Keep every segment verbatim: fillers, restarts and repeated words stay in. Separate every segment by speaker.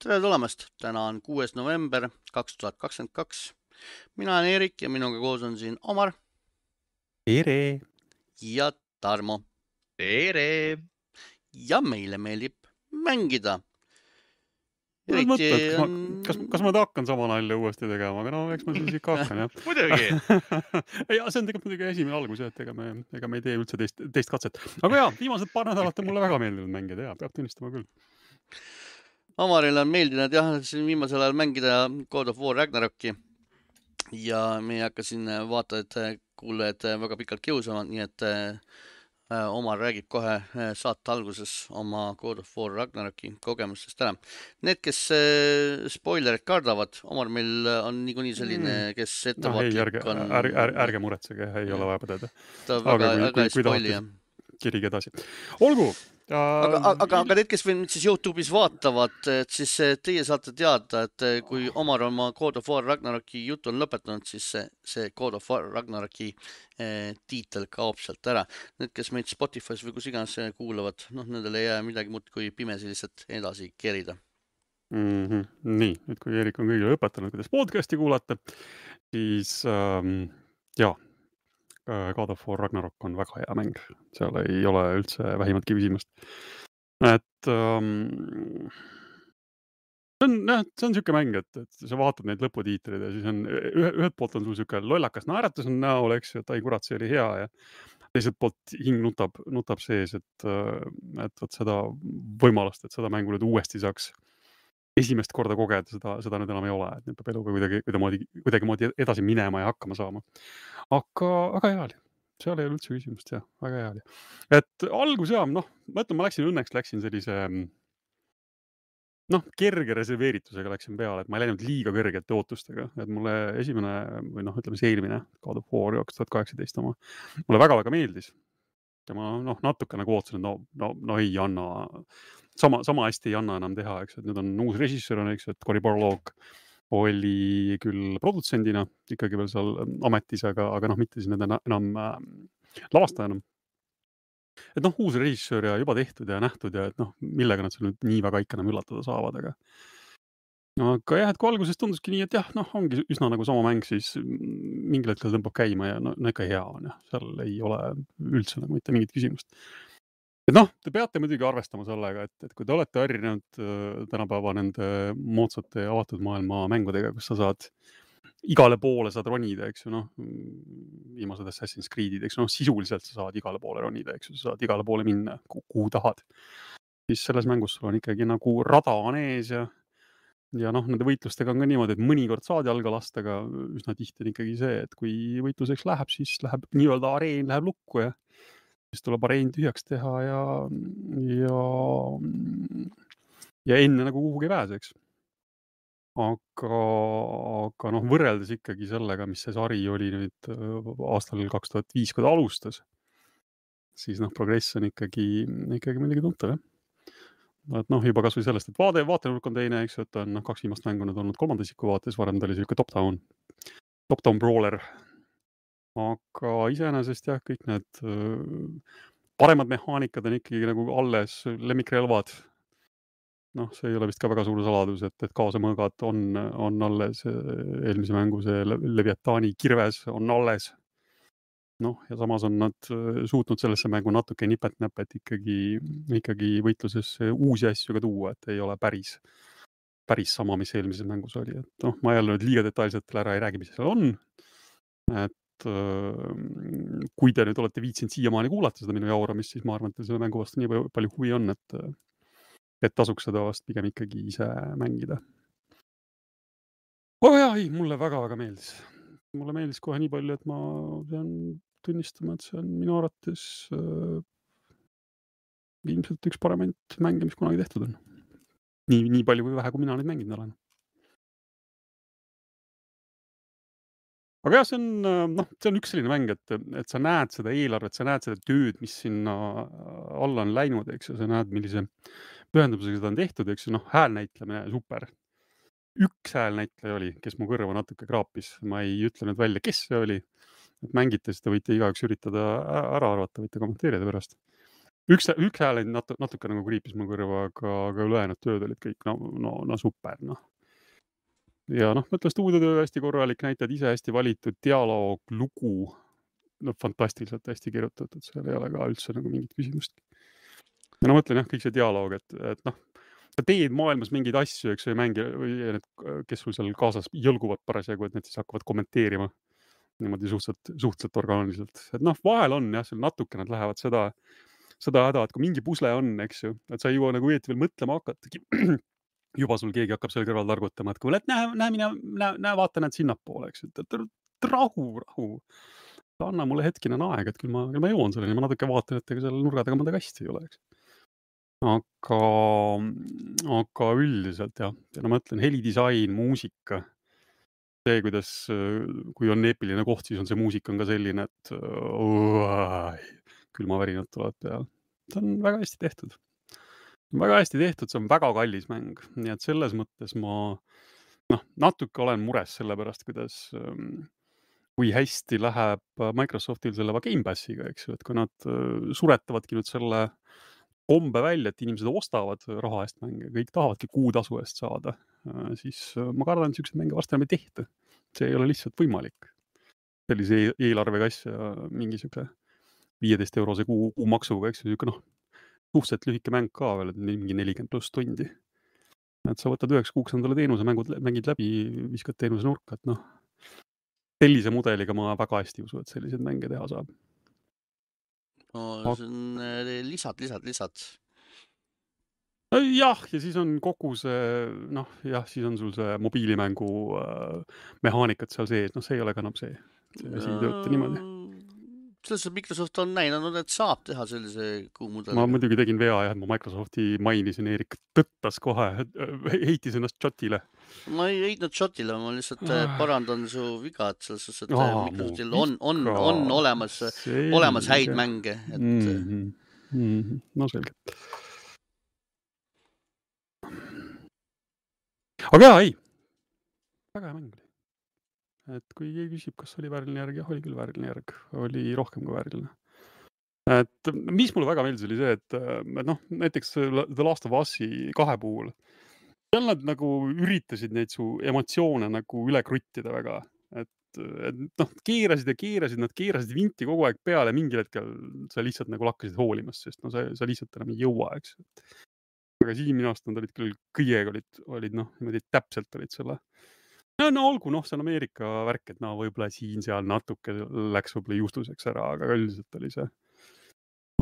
Speaker 1: Tere tulemast! Täna on kuues november kaks tuhat kakskümmend kaks. Mina olen Erik ja minuga koos on siin Omar
Speaker 2: Tere!
Speaker 1: ja Tarmo.
Speaker 3: Tere!
Speaker 1: Ja meile meeldib mängida.
Speaker 2: Ma olen
Speaker 1: Eriti
Speaker 2: mõtlenud, kas,
Speaker 1: on...
Speaker 2: ma, kas, kas ma hakkan sama nalja uuesti tegema, aga no eks ma siis ikka hakkan, jah.
Speaker 3: Muidugi!
Speaker 2: ja, see on tegelikult muidugi esimene algus, et ega me, ega me ei tee üldse teist, teist katset. Aga jaa, viimased paar nädalat on mulle väga meeldinud mängida, jaa, peab tunnistama küll.
Speaker 1: Omarile on meeldinud jah, siin viimasel ajal mängida God of War Ragnaroki. Ja me ei hakka siin vaatajad, kuulajad väga pikalt kiusama, nii et Omar räägib kohe saate alguses oma God of War Ragnaroki kogemustest ära. Need, kes spoilerid kardavad, Omar meil on niikuinii selline, kes ettevaatlik
Speaker 2: no, ei, ärge,
Speaker 1: on...
Speaker 2: Ärge, ärge, ärge muretsege, ei ja. ole vaja põdeda.
Speaker 1: Ta väga, aga väga ei spoili, jah.
Speaker 2: Kirige edasi. Olgu!
Speaker 1: Aga, aga, aga need, kes veel nüüd siis YouTube'is vaatavad, et siis teie saate teada, et kui Omar oma God of War Ragnaroki jutu on lõpetanud, siis see, see God of War Ragnaroki eh, tiitel kaob sealt ära. Need, kes meid Spotify's või kus iganes kuulavad, noh, nendele ei jää midagi muud kui pimesi lihtsalt edasi kerida.
Speaker 2: Mm-hmm. Nii, nüüd kui Erik on kõigile õpetanud, kuidas podcasti kuulata, siis ähm, jaa, God of War Ragnarok on väga hea mäng. Seal ei ole üldse vähimatki küsimust. Et um, see on, jah, see on siuke mäng, et, et sa vaatad neid lõputiitreid ja siis on ühe, ühed poolt on sul siuke lollakas naeratus on näol, eks ju, et ai kurat, see oli hea ja teiselt poolt hing nutab, nutab sees, et, et võt seda võimalust, et seda mängu nüüd uuesti saaks esimest korda kogeda, seda, seda nüüd enam ei ole, et nüüd peab eluga kuidagi, kuidagi, kuidagi moodi edasi minema ja hakkama saama. Aga, aga hea oli. Seal ei ole üldse küsimust, jah. Väga hea oli. Et algus jah, noh, ma ütlen, ma läksin õnneks, läksin sellise, noh, kerge reserveeritusega läksin peale, et ma ei läinud liiga kõrgete ootustega. Et mulle esimene, või noh, ütleme see eelmine God of War kaks tuhat kaheksateist oma, mulle väga-väga meeldis. Ja ma, noh, natuke nagu ootsin, et no, no, no ei anna, sama, sama hästi ei anna enam teha, eks, et nüüd on uus režissöör, on, eks, et Cory Barlog oli küll produtsendina ikkagi veel seal ametis, aga, aga noh, mitte siis nende enam äh, lavastajana. Et noh, uus režissöör ja juba tehtud ja nähtud ja et noh, millega nad seal nüüd nii väga ikka enam üllatada saavad, aga no, aga jah, et kui alguses tunduski nii, et jah, noh, ongi üsna nagu sama mäng, siis mingil hetkel tõmbab käima ja no, no ikka hea on, jah. Seal ei ole üldse nagu mitte mingit küsimust. Et noh, te peate muidugi arvestama sellega, et, et kui te olete harjunud äh, tänapäeva nende moodsate avatud maailma mängudega, kus sa saad igale poole saad ronida, eks ju, noh, viimased Assassin's Creed'id, eks ju, noh, sisuliselt sa saad igale poole ronida, eks ju, sa saad igale poole minna, kuhu tahad. Siis selles mängus sul on ikkagi nagu rada on ees ja ja noh, nende võitlustega on ka niimoodi, et mõnikord saad jalga lasta, aga üsna tihti on ikkagi see, et kui võitluseks läheb, siis läheb nii-öelda areen läheb lukku ja siis tuleb areen tühjaks teha ja, ja, ja enne nagu kuhugi pääseks. Aga, aga noh, võrreldes ikkagi sellega, mis see sari oli nüüd aastal kaks tuhat viis, kui ta alustas, siis noh, progress on ikkagi, ikkagi midagi tuntav, jah. Et noh, juba kas või sellest, et vaade, vaatenurk on teine, eks, et on noh, kaks viimast mängu nüüd olnud kolmandasiku vaates, varem ta oli selline top-down, top-down brawler. Aga iseenesest jah, kõik need paremad mehaanikad on ikkagi nagu alles, lemmikrelvad. Noh, see ei ole vist ka väga suur saladus, et, et kaasamõõgad on, on alles eelmise mängu, see Leviatani kirves on alles. Noh, ja samas on nad suutnud sellesse mängu natuke nipet-näpet ikkagi, ikkagi võitluses uusi asju ka tuua, et ei ole päris, päris sama, mis eelmises mängus oli. Et noh, ma jälle nüüd liiga detailselt ära ei räägi, mis seal on. Et kui te nüüd olete viitsinud siiamaani kuulata seda minu jauramist, siis ma arvan, et selle mängu vastu nii palju huvi on, et, et tasuks seda vast pigem ikkagi ise mängida. Oh jah, ei, mulle väga-väga meeldis. Mulle meeldis kohe nii palju, et ma pean tunnistama, et see on minu arvates äh, ilmselt üks paremaid mänge, mis kunagi tehtud on. Nii, nii palju kui vähe, kui mina neid mänginud olen. Aga jah, see on, noh, see on üks selline mäng, et, et sa näed seda eelarvet, sa näed seda tööd, mis sinna alla on läinud, eks ju, sa näed, millise pühendumusega seda on tehtud, eks ju, noh, häälnäitlemine super. Üks häälnäitleja oli, kes mu kõrva natuke kraapis, ma ei ütle nüüd välja, kes see oli, et mängite, siis te võite igaüks üritada ära arvata, võite kommenteerida pärast. üks, üks hääl natu, natuke nagu kriipis mu kõrva, aga, aga ülejäänud tööd olid kõik no, no, no super, noh. Ja noh, mõtlen stuudiotöö hästi korralik, näitajad ise hästi valitud, dialoog, lugu, no fantastiliselt hästi kirjutatud, seal ei ole ka üldse nagu mingit küsimust. Ja no mõtlen jah, kõik see dialoog, et, et noh, sa teed maailmas mingeid asju, eks või mängi, või need, kes sul seal kaasas jõlguvad parasjagu, et need siis hakkavad kommenteerima niimoodi suhteliselt, suhteliselt orgaaniliselt. Et noh, vahel on jah, seal natuke nad lähevad seda, seda häda, et kui mingi pusle on, eks ju, et sa ei jõua nagu õieti veel mõtlema hakatagi. Juba sul keegi hakkab seal kõrval targutama, et kuule, et näe, näe, mine, näe, näe, vaata näed sinnapoole, eks ju, et rahu, rahu. Anna mulle hetkine aeg, et küll ma, küll ma jõuan selleni, ma natuke vaatan, et ega seal nurga taga mõnda kasti ei ole, eks. Aga, aga üldiselt jah, ja no ma ütlen, helidisain, muusika, see, kuidas, kui on eepiline koht, siis on see muusika on ka selline, et uh, külmavärinad tulevad peale. See on väga hästi tehtud. Väga hästi tehtud, see on väga kallis mäng, nii et selles mõttes ma noh, natuke olen mures selle pärast, kuidas, kui hästi läheb Microsoftil selle Game Passiga, eks ju, et kui nad suretavadki nüüd selle kombe välja, et inimesed ostavad raha eest mänge, kõik tahavadki kuutasu eest saada, siis ma kardan, et sellised mänge varsti enam ei tehta. See ei ole lihtsalt võimalik. Sellise eelarvega asja mingi siuke viieteist eurose kuu, kuu maksuga, eks ju, siuke noh, suhteliselt lühike mäng ka veel, et mingi nelikümmend pluss tundi. Et sa võtad üheks kuuks endale teenuse, mängud, mängid läbi, viskad teenuse nurka, et noh, sellise mudeliga ma väga hästi usu, et selliseid mänge teha saab.
Speaker 1: No, see on lisad, lisad, lisad.
Speaker 2: Jah, ja siis on kogu see, noh, jah, siis on sul see mobiilimängu äh, mehaanikat seal sees, noh, see ei ole ka enam see. See asi ei tööta niimoodi.
Speaker 1: Selles Microsoft on näidanud, et saab teha sellise kuumudeliga.
Speaker 2: Ma muidugi tegin vea jah, et ma Microsofti mainisin, Eerik tõttas kohe, heitis ennast shotile.
Speaker 1: Ma ei heitnud shotile, ma lihtsalt parandan su viga, et selles suhtes, et
Speaker 2: Aa,
Speaker 1: Microsoftil on, on, on olemas, olemas häid mänge. Et...
Speaker 2: Mm-hmm. Mm-hmm. No selge. Aga jaa, ei. Väga hea mäng oli. Et kui keegi küsib, kas oli vääriline järg, jah, oli küll vääriline järg. Oli rohkem kui vääriline. Et mis mulle väga meeldis oli see, et noh, näiteks The Last of Us'i kahe puhul seal nad nagu üritasid neid su emotsioone nagu üle kruttida väga. Et, et noh, keerasid ja keerasid, nad keerasid vinti kogu aeg peale, mingil hetkel sa lihtsalt nagu lakkasid hoolimast, sest no sa, sa lihtsalt enam ei jõua, eks. Aga siin minu arust nad olid küll kõigega olid, olid noh, niimoodi täpselt olid selle. No, no olgu, noh, see on Ameerika värk, et no võib-olla siin seal natuke läks võib-olla juustuseks ära, aga üldiselt oli see,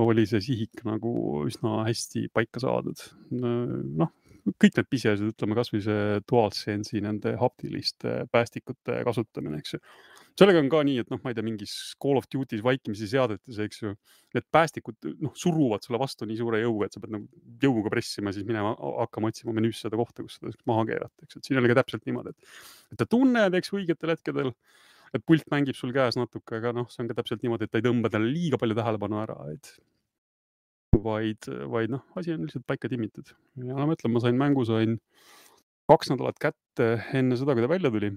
Speaker 2: oli see sihik nagu üsna hästi paika saadud. Noh, kõik need pisiasjad, ütleme kas või see DualSense'i nende haptiliste päästikute kasutamine, eks ju. Sellega on ka nii, et noh, ma ei tea, mingis Call of Duty's vaikimisi seadetes, eks ju, need päästikud noh, suruvad sulle vastu nii suure jõuga, et sa pead nagu jõuga pressima, siis minema hakkama otsima menüüs seda kohta, kus seda maha keerata, eks. Et siin oli ka täpselt niimoodi, et, et ta tunneb, eks, õigetel hetkedel, et pult mängib sul käes natuke, aga noh, see on ka täpselt niimoodi, et ta ei tõmba talle liiga palju tähelepanu ära, et vaid, vaid noh, asi on lihtsalt paika timmitud. Ja ma mõtlen, ma sain mängu, sain kaks nädalat kätte enne seda, kui ta välja tuli.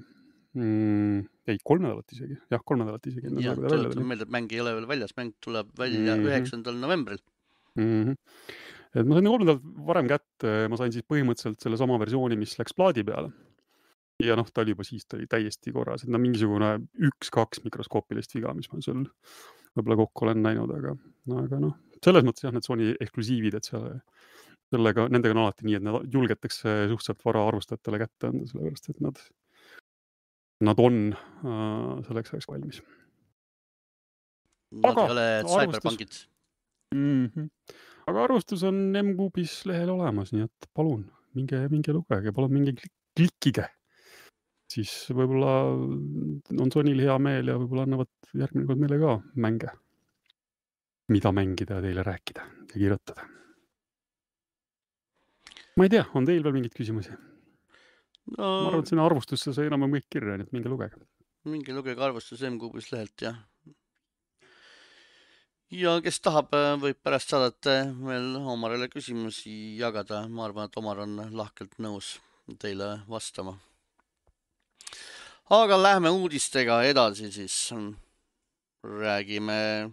Speaker 2: Mm, ei, kolm nädalat isegi. Jah, kolm nädalat isegi enne
Speaker 1: ja,
Speaker 2: seda, kui ta välja tuli.
Speaker 1: Meelde, et mäng ei ole veel väljas, mäng tuleb välja üheksandal mm-hmm. novembril.
Speaker 2: Mm-hmm. Et ma sain kolm nädalat varem kätte, ma sain siis põhimõtteliselt selle sama versiooni, mis läks plaadi peale. Ja noh, ta oli juba siis, ta oli täiesti korras, et no mingisugune üks-kaks mikroskoopilist viga, mis ma sul võib-olla kokku olen näinud, aga, aga noh, selles mõttes jah, need Sony eksklusiivid, et seal, sellega, nendega on alati nii, et nad julgetakse suhteliselt vara arvustajatele kätte anda, sellepärast, et nad Nad on äh, selleks ajaks valmis.
Speaker 1: Nad aga, ei ole Cyberpunkid.
Speaker 2: Mm-hmm. Aga arvustus on M-Kuubis lehel olemas, nii et palun, minge, minge lugege, palun minge klikkige. Siis võib-olla on Sonyl hea meel ja võib-olla annavad järgmine kord meile ka mänge. Mida mängida ja teile rääkida ja kirjutada. Ma ei tea, on teil veel mingid küsimusi? No, ma arvan, et sinna arvustusse sai enam kõik kirja, nii et minge lugege.
Speaker 1: Minge lugege arvustus M-Kuubis lehelt, jah. Ja kes tahab, võib pärast saadata veel Omarile küsimusi jagada. Ma arvan, et Omar on lahkelt nõus teile vastama. Aga lähme uudistega edasi siis. Räägime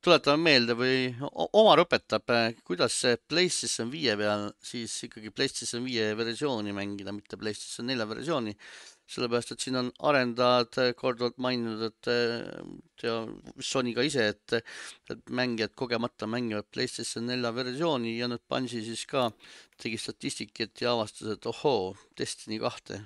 Speaker 1: tuletame meelde või o- Omar õpetab, eh, kuidas see PlayStation viie peal siis ikkagi PlayStation viie versiooni mängida, mitte PlayStation nelja versiooni. Sellepärast, et siin on arendajad eh, korduvalt maininud, et eh, ja Sony ka ise, et, et mängijad kogemata mängivad PlayStation nelja versiooni ja nüüd Bungi siis ka tegi statistikat ja avastas, et ohoo, Destiny kahte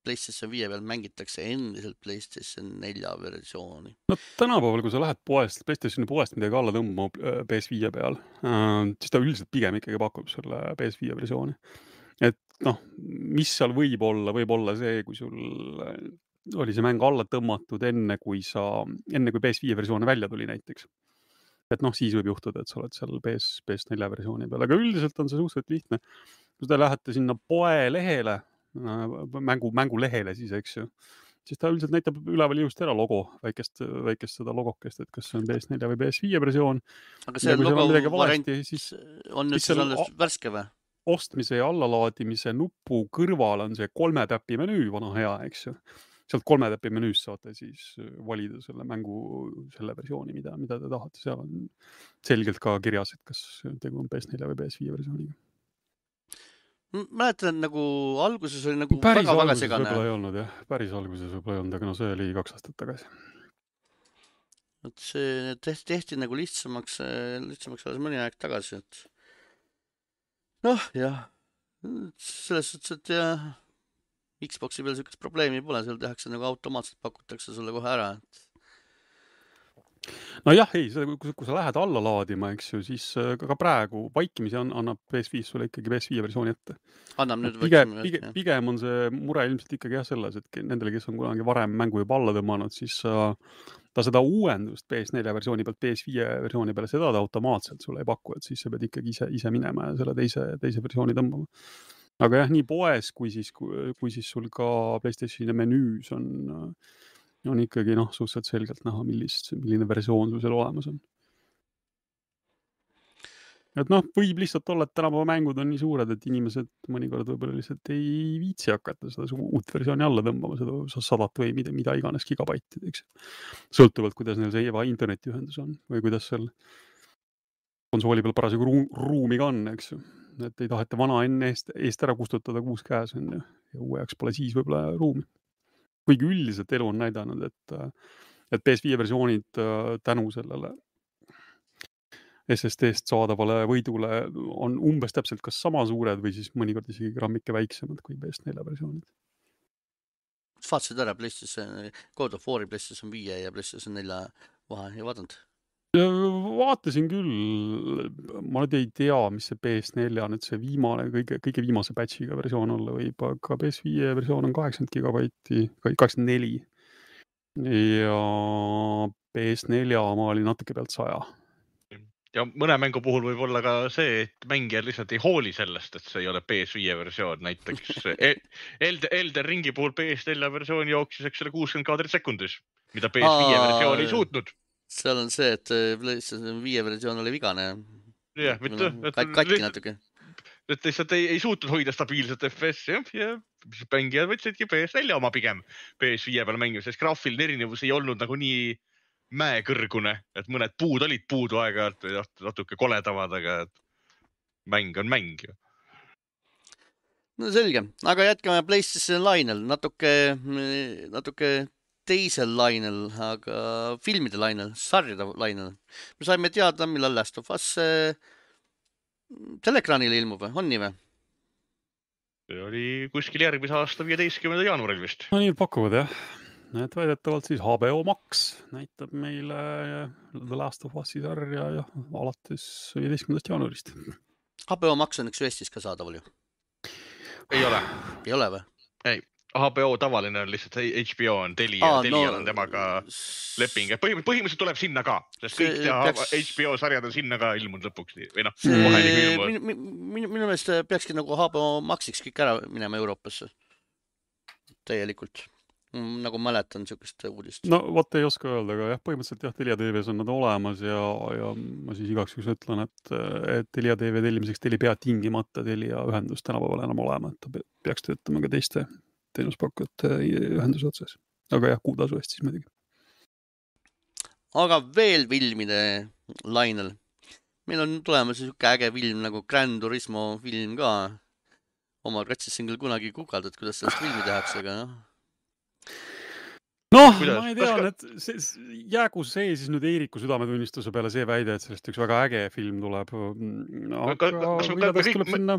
Speaker 1: PlayStation viie peal mängitakse endiselt PlayStation nelja versiooni.
Speaker 2: No tänapäeval, kui sa lähed poest, PlayStationi poest midagi alla tõmbama äh, P S viie peal, äh, siis ta üldiselt pigem ikkagi pakub selle P S viie versiooni. Et noh, mis seal võib olla, võib olla see, kui sul äh, oli see mäng alla tõmmatud enne, kui sa, enne kui P S viie versioon välja tuli näiteks. Et noh, siis võib juhtuda, et sa oled seal P S, P S nelja versiooni peal, aga üldiselt on see suhteliselt lihtne. Kui te lähete sinna poe lehele, mängu, mängu lehele siis, eks ju, siis ta üldiselt näitab üleval ilusti ära logo, väikest, väikest seda logokest, et kas see on P S nelja või P S viie versioon.
Speaker 1: Aga see
Speaker 2: Ja kui seal on
Speaker 1: logo
Speaker 2: midagi
Speaker 1: variant
Speaker 2: valesti, siis
Speaker 1: on nüüd
Speaker 2: siis
Speaker 1: siis
Speaker 2: seal
Speaker 1: alles
Speaker 2: o-
Speaker 1: värske või?
Speaker 2: ostmise ja allalaadimise nupu kõrval on see kolme täpi menüü, vana hea, eks ju. Sealt kolme täpi menüüs saate siis valida selle mängu, selle versiooni, mida, mida te tahate. Seal on selgelt ka kirjas, et kas tegu on P S nelja või P S viie versiooniga.
Speaker 1: M- Mäletan, et nagu alguses oli nagu
Speaker 2: Päris
Speaker 1: väga-väga
Speaker 2: alguses
Speaker 1: segane.
Speaker 2: võib-olla ei olnud, jah. Päris alguses võib-olla ei olnud, aga no see oli kaks aastat tagasi.
Speaker 1: Et see tehti, tehti nagu lihtsamaks, eh, lihtsamaks alles mõni aeg tagasi, et noh, jah, selles suhtes, et jah, Xboxi peal sihukest probleemi pole, seal tehakse nagu automaatselt pakutakse sulle kohe ära, et
Speaker 2: No jah, ei, see, kui, kui sa lähed alla laadima, eks ju, siis äh, ka ka praegu vaikimisi on, annab P S viis sulle ikkagi P S viie versiooni ette.
Speaker 1: annab
Speaker 2: Et
Speaker 1: nüüd
Speaker 2: pigem,
Speaker 1: võiksime,
Speaker 2: pigem,
Speaker 1: jah.
Speaker 2: pigem on see mure ilmselt ikkagi jah selles, et ke- nendele, kes on kunagi varem mängu juba alla tõmmanud, siis äh, ta seda uuendust P S nelja versiooni pealt P S viie versiooni peale, seda ta automaatselt sulle ei paku, et siis sa pead ikkagi ise, ise minema ja selle teise, teise versiooni tõmbama. Aga jah, nii poes kui siis, kui, kui siis sul ka PlayStationi menüüs on, äh, on ikkagi noh, suhteliselt selgelt näha, millist, milline versioon sul seal olemas on. Et noh, võib lihtsalt olla, et tänapäeva mängud on nii suured, et inimesed mõnikord võib-olla lihtsalt ei viitsi hakata seda su- uut versiooni alla tõmbama, seda sa- sadat või mida, mida iganes gigabaitid, eks. Sõltuvalt, kuidas neil see eva internetiühendus on või kuidas seal konsooli peal parasjagu ruu- ruumi ka on, eks ju. Et ei taheta vana enne eest, eest ära kustutada kuus käes on ju, ja uue jaoks pole siis võib-olla ruumi. Kuigi üldiselt elu on näidanud, et, äh, et P S viie versioonid äh, tänu sellele S S D-st saadavale võidule on umbes täpselt kas sama suured või siis mõnikord isegi grammike väiksemad kui P S nelja versioonid.
Speaker 1: Kas vaatasid ära PlayStation, God of War'i PlayStation viie ja PlayStation nelja vahe, ei vaadanud?
Speaker 2: Ja vaatasin küll, ma nüüd ei tea, mis see P S nelja nüüd see viimane, kõige, kõige viimase patchiga versioon olla võib, aga P S viie versioon on kaheksakümmend gigabaiti, kaheksakümmend neli. Ja P S nelja oma oli natuke pealt saja.
Speaker 3: Ja mõne mängu puhul võib olla ka see, et mängijad lihtsalt ei hooli sellest, et see ei ole P S viie versioon. Näiteks El- Elden, Elden Ringi puhul P S nelja versioon jooksis, eks selle kuuskümmend kaadrit sekundis, mida P S viie
Speaker 1: Aa,
Speaker 3: versioon ei suutnud.
Speaker 1: seal on see, et eh, PlayStation viie versioon oli vigane.
Speaker 3: Jah,
Speaker 1: Või
Speaker 3: mitte,
Speaker 1: noh,
Speaker 3: et-
Speaker 1: kat- katki
Speaker 3: lihtsalt-
Speaker 1: natuke.
Speaker 3: Et lihtsalt ei, ei suutnud hoida stabiilset F P S, jah, ja siis mängijad võtsidki P S nelja oma pigem P S viie peal mängima, sest graafiline erinevus ei olnud nagu nii mäekõrgune, et mõned puud olid puudu aeg-ajalt või natuke koledamad, aga et mäng on mäng ju.
Speaker 1: No selge, aga jätkame PlayStation lainel, natuke, natuke teisel lainel, aga filmide lainel, sarjade lainel. Me saime teada, millal Last of Us eh, teleekraanile ilmub, on nii või?
Speaker 3: See oli kuskil järgmise aasta viieteistkümnenda jaanuaril vist.
Speaker 2: No nii pakuvad jah. Et väidetavalt siis H B O Max näitab meile The Last of Us'i sarja ja alates viieteistkümnendast jaanuarist.
Speaker 1: H B O Max on üks ju Eestis ka saadaval ju.
Speaker 3: Ei ole.
Speaker 1: Ei ole või?
Speaker 3: Ei, H B O tavaline on lihtsalt H B O on Telia,
Speaker 1: Aa,
Speaker 3: Telia
Speaker 1: no-
Speaker 3: on temaga leping. Põhim- Põhimõtteliselt tuleb sinna ka, sest
Speaker 1: See
Speaker 3: kõik tea,
Speaker 1: peaks-
Speaker 3: H B O sarjad on sinna ka ilmunud lõpuks. Või noh,
Speaker 1: See,
Speaker 3: kohe nagu ilmuvad.
Speaker 1: minu, minu, minu, minu meelest peakski nagu H B O Maxiks kõik ära minema Euroopasse. Täielikult. Nagu mäletan niisugust uudist.
Speaker 2: No vot ei oska öelda, aga jah, põhimõtteliselt jah, Telia T V-s on nad olemas ja, ja ma siis igaks juhuks ütlen, et, et Telia T V tellimiseks teil ei pea tingimata Telia ühendus tänapäeval enam olema, et ta pe- peaks töötama ka teiste teenuspakkujate ühenduse otsas. Aga jah, kuutasu eest siis muidugi.
Speaker 1: aga veel filmide lainel. Meil on tulemas siuke äge film nagu Gran Turismo film ka. Omar katsisin küll kunagi guugeldada, et kuidas sellest filmi tehakse, aga noh.
Speaker 2: Noh,
Speaker 3: Kuidas?
Speaker 2: ma ei
Speaker 3: Kas
Speaker 2: tea,
Speaker 3: ka-
Speaker 2: et see, see- jäägu see siis nüüd Eeriku südametunnistuse peale see väide, et sellest üks väga äge film tuleb. Aga
Speaker 3: Ka- ka- kas me-
Speaker 2: mida
Speaker 3: me
Speaker 2: tast
Speaker 3: kõik-
Speaker 2: tuleb
Speaker 3: me-
Speaker 2: sinna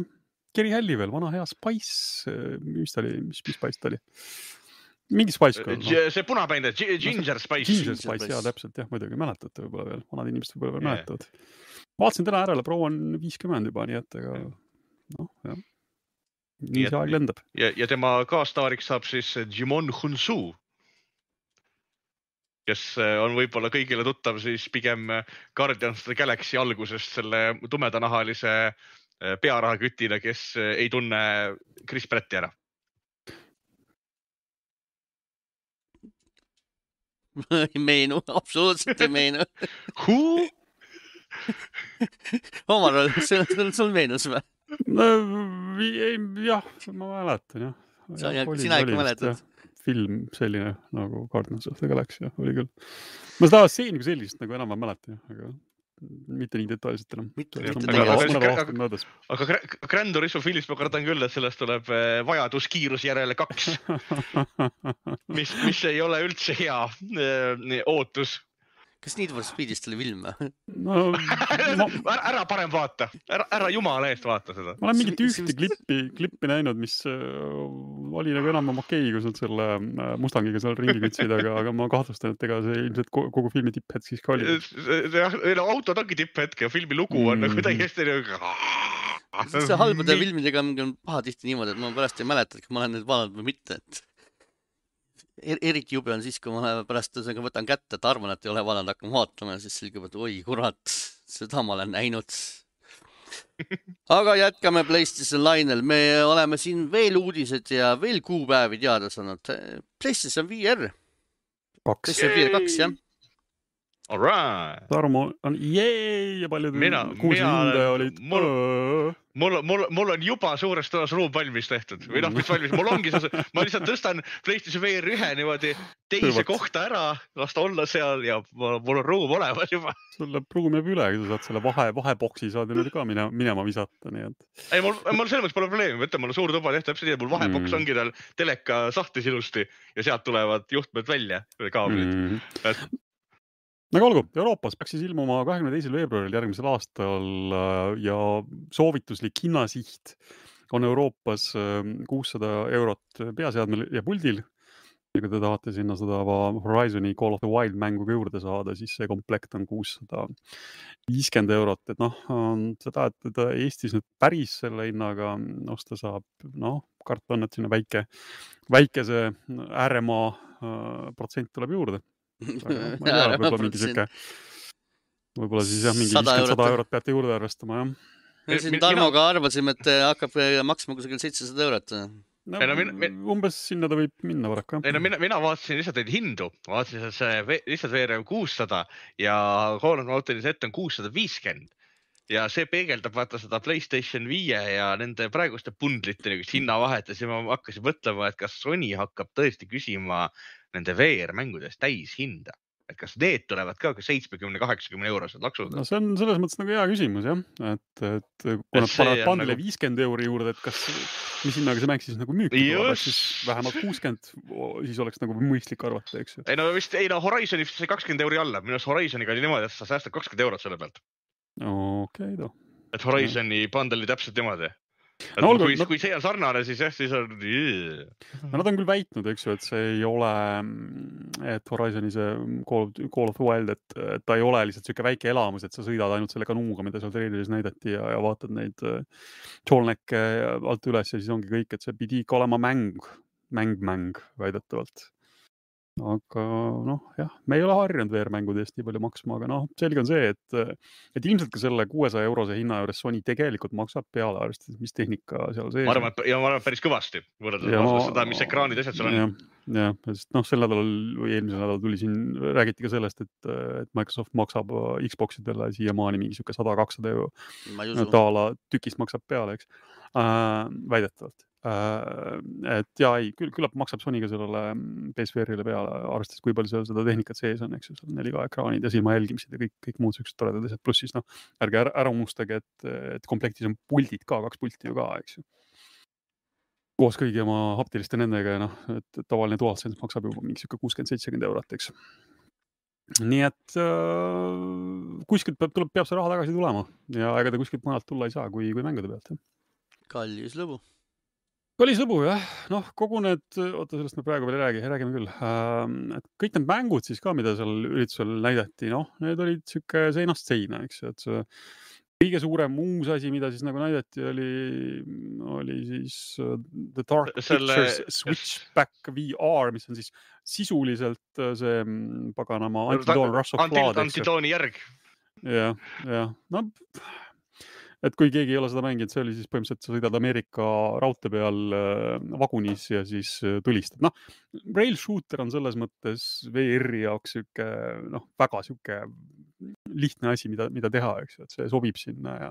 Speaker 2: Geri Hälli veel, vana hea Spice, mis ta oli, mis, mis Spice ta oli? Mingi Spice Girl. No.
Speaker 3: see punapäinde, Ginger Spice.
Speaker 2: Ginger
Speaker 1: Ginger
Speaker 2: Spice,
Speaker 1: Spice.
Speaker 2: jaa, täpselt, jah, muidugi mäletate võib-olla veel, vanad inimesed võib-olla veel
Speaker 3: Jaa.
Speaker 2: mäletavad. Vaatasin täna ära, proua on viiskümmend juba, nii et aga noh, jah.
Speaker 3: Nii
Speaker 2: Nii
Speaker 3: et-
Speaker 2: see aeg lendab.
Speaker 3: ja, ja tema kaastaariks saab siis Jimon Hunsu, kes on võib-olla kõigile tuttav siis pigem Guardians of the Galaxy algusest selle tumedanahalise pearahakütina, kes ei tunne Chris Pratti ära.
Speaker 1: ei meenu, absoluutselt ei meenu.
Speaker 3: Who?
Speaker 1: Omar, sul, sul meenus või?
Speaker 2: No, jah, ma mäletan, jah.
Speaker 1: Sa-
Speaker 2: Jah, oli-
Speaker 1: sina ikka
Speaker 2: oli vist,
Speaker 1: mäletad?
Speaker 2: jah, film selline nagu Guardians of the Galaxy, jah, oli küll. Ma seda stseeni kui sellist nagu enam ei mäleta, jah, aga mitte nii detailselt enam.
Speaker 1: Mitte-
Speaker 2: Mõned
Speaker 1: mitte
Speaker 3: Aga- aga-
Speaker 2: aastad- mõned
Speaker 3: aga-
Speaker 2: aastad möödas.
Speaker 3: aga Gra- Gran Turismo filmis ma kardan küll, et sellest tuleb eh, vajadus kiiruse järele kaks, mis, mis ei ole üldse hea eh, ootus.
Speaker 1: Kas Need for Speedist oli film või?
Speaker 2: No, ma,
Speaker 3: ära, ära parem vaata, ära, ära jumala eest vaata seda.
Speaker 2: ma olen mingit
Speaker 1: See-
Speaker 2: ühte klippi, klippi näinud, mis äh, oli nagu enam okei, kui nad selle äh, Mustangiga seal ringi kütsid, aga, aga ma kahtlustan, et ega see ilmselt ko- kogu filmi tipphetk siis ka oli.
Speaker 3: jah, autod ongi tipphetk ja filmi lugu on
Speaker 2: Mm.
Speaker 3: nagu täiesti nagu.
Speaker 1: see halbade filmidega on pahatihti niimoodi, et ma pärast ei mäleta, et ma olen neid vaadanud või mitte, et er, eriti jube on siis, kui ma pärast ühesõnaga võtan kätte, et arvan, et ei ole vaadanud, hakkan vaatama ja siis selgub, et oi kurat, seda ma olen näinud. Aga jätkame PlayStation lainel. Me oleme siin veel uudised ja veel kuupäevi teada saanud. PlayStation V R.
Speaker 2: Kaks.
Speaker 1: PlayStation V R kaks, jah.
Speaker 3: All right.
Speaker 2: Tarmo on jee ja paljud
Speaker 3: Mina-
Speaker 2: kuulsin
Speaker 3: mina
Speaker 2: hindaja
Speaker 3: olen-
Speaker 2: olid.
Speaker 3: mul- mul, mul, mul on juba suures toas ruum valmis tehtud või noh, mis valmis, mul ongi see, ma lihtsalt tõstan PlayStation V R ühe niimoodi teise
Speaker 2: Hõivat.
Speaker 3: kohta ära, las ta olla seal ja mul mul on ruum olemas juba.
Speaker 2: sul läheb ruum jääb üle, kui sa saad selle vahe, vahepoksi saad ju nüüd ka minema, minema visata, nii et.
Speaker 3: ei, mul, mul selles mõttes pole probleemi, võtta, mul on suur tuba tehtud, täpselt nii, mul vaheboks
Speaker 2: Mm.
Speaker 3: ongi tal teleka sahtlis ilusti ja sealt tulevad juhtmed välja, kaablid.
Speaker 2: Mm.
Speaker 3: Et-
Speaker 2: aga olgu, Euroopas peaks siis ilmuma kahekümne teisel veebruaril järgmisel aastal äh, ja soovituslik hinnasiht on Euroopas äh, kuussada eurot peaseadmel ja puldil. Ja kui te tahate sinna seda Horizoni Call of the Wild mängu ka juurde saada, siis see komplekt on kuussada viiskümmend eurot. Et noh, seda, et teda Eestis nüüd päris selle hinnaga osta saab, noh, karta on, et sinna väike, väikese ääremaa äh, protsent tuleb juurde. Aga noh, ma ei tea, võib-olla mingi siuke, võib-olla siis jah, mingi
Speaker 1: sada
Speaker 2: viiskümmend sada
Speaker 1: eurot.
Speaker 2: eurot peate juurde arvestama, jah.
Speaker 1: Me siin
Speaker 3: Mina-
Speaker 1: Tarmoga arvasime, et hakkab maksma kusagil seitsesada eurot.
Speaker 2: No,
Speaker 3: Ei no min- min-
Speaker 2: umbes sinna ta võib minna paraku.
Speaker 3: ei no mina, mina vaatasin lihtsalt neid hindu, vaatasin, et see ve- lihtsalt V R on kuussada ja Call of Duty Z on kuussada viiskümmend. Ja see peegeldab vaata seda PlayStation viie ja nende praeguste bundlite niisugust hinnavahet ja siis ma hakkasin mõtlema, et kas Sony hakkab tõesti küsima nende V R mängudest täishinda. Et kas need tulevad ka seitsmekümne kaheksakümne eurosed laksud?
Speaker 2: No see on selles mõttes nagu hea küsimus, jah. Et, et kui nad
Speaker 3: see
Speaker 2: panevad
Speaker 3: on
Speaker 2: pandile
Speaker 3: nagu-
Speaker 2: viiskümmend euri juurde, et kas, mis hinnaga see mäng siis nagu müüki tuleb, et siis
Speaker 3: Just.
Speaker 2: vähemalt kuuskümmend, siis oleks nagu mõistlik arvata, eks ju.
Speaker 3: ei no vist, ei no Horizoni vist sai kakskümmend euri alla, minu arust Horizoniga oli niimoodi, et sa säästad kakskümmend eurot selle pealt.
Speaker 2: Okei, too.
Speaker 3: Et Horizoni bundle oli täpselt niimoodi. Et
Speaker 2: No olgu,
Speaker 3: kui,
Speaker 2: no-
Speaker 3: kui see on sarnane, siis jah, siis on...
Speaker 2: No nad on küll väitnud, eks ju, et see ei ole, et Horizoni see Call of, Call of the Wild, et, et ta ei ole lihtsalt siuke väike elamus, et sa sõidad ainult selle kanuuga, mida seal treileris näidati ja, ja vaatad neid Jolnecke alt üles ja siis ongi kõik, et see pidi ikka olema mäng, mäng-mäng väidetavalt. Aga noh, jah, me ei ole harjunud V R-mängude eest nii palju maksma, aga noh, selge on see, et, et ilmselt ka selle kuuesaja eurose hinna juures Sony tegelikult maksab peale, arvestades, mis tehnika seal sees
Speaker 3: ma arvan, et ja ma arvan et päris kõvasti võrreldes
Speaker 2: Ja
Speaker 3: no,
Speaker 2: ma-
Speaker 3: seda, mis ekraanid asjad seal on.
Speaker 2: jah, jah, sest noh, sel nädalal või eelmisel nädalal tuli siin, räägiti ka sellest, et, et Microsoft maksab Xboxidele siiamaani mingi siuke sada kakssada euro
Speaker 1: Ma ei usu.
Speaker 2: taala tükist maksab peale, eks äh, väidetavalt. et ja ei, küll, küllap maksab Sonyga sellele P S V R-ile peale, arvestades, kui palju seal seda tehnikat sees on, eks ju, seal neli K ekraanid ja silma jälgimised ja kõik, kõik muud sellised toredad asjad, pluss siis noh, ärge ära, ära unustage, et, et komplektis on puldid ka, kaks pulti ju ka, eks ju. Koos kõigi oma haptiliste nendega ja noh, et tavaline DualSense maksab juba mingi siuke kuuskümmend seitsekümmend eurot, eks. Nii et äh, kuskilt peab, tuleb, peab see raha tagasi tulema ja ega ta kuskilt mujalt tulla ei saa, kui, kui mängude pealt. Jah.
Speaker 1: Kallis lõbu.
Speaker 2: Kallis lõbu, jah. Noh, kogu need, oota, sellest me praegu veel räägi, räägime küll. Äh, et kõik need mängud siis ka, mida seal üritusel näidati, noh, need olid siuke seinast seina, eks, et see kõige suurem uus asi, mida siis nagu näidati, oli, oli siis uh, The Dark Selle... Pictures Switchback V R, mis on siis sisuliselt see paganama Antidoon Rush of Blood.
Speaker 3: Antidooni järg.
Speaker 2: Jah, jah. No, et kui keegi ei ole seda mänginud, see oli siis põhimõtteliselt, sa sõidad Ameerika raudtee peal vagunis ja siis tulistad. Noh, rail shooter on selles mõttes V R-i jaoks siuke, noh, väga siuke lihtne asi, mida, mida teha, eks ju, et see sobib sinna ja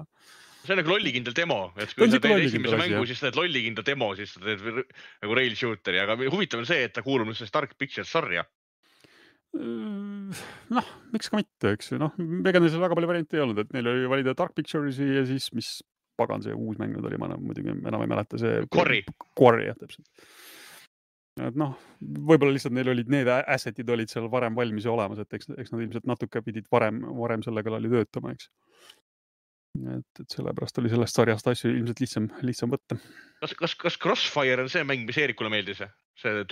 Speaker 3: see on nagu lollikindel demo, et kui sa teed esimese mängu, jah. Siis teed lollikindel demo, siis sa teed nagu rail shooteri, aga huvitav on see, et ta kuulub sellest Dark Pictures sarja.
Speaker 2: Noh, miks ka mitte, eks ju, noh, ega neil väga palju variante ei olnud, et neil oli valida Dark Pictures'i ja siis, mis pagan see uus mäng oli, ma muidugi enam ei mäleta see
Speaker 3: Quarry,
Speaker 2: Quarry, jah, täpselt. Et noh, võib-olla lihtsalt neil olid need assetid olid seal varem valmis ja olemas, et eks, eks nad ilmselt natuke pidid varem, varem selle kallal töötama, eks. Et, et sellepärast oli sellest sarjast asju ilmselt lihtsam, lihtsam võtta.
Speaker 3: Kas, kas, kas Crossfire on see mäng, mis Eerikule meeldis? See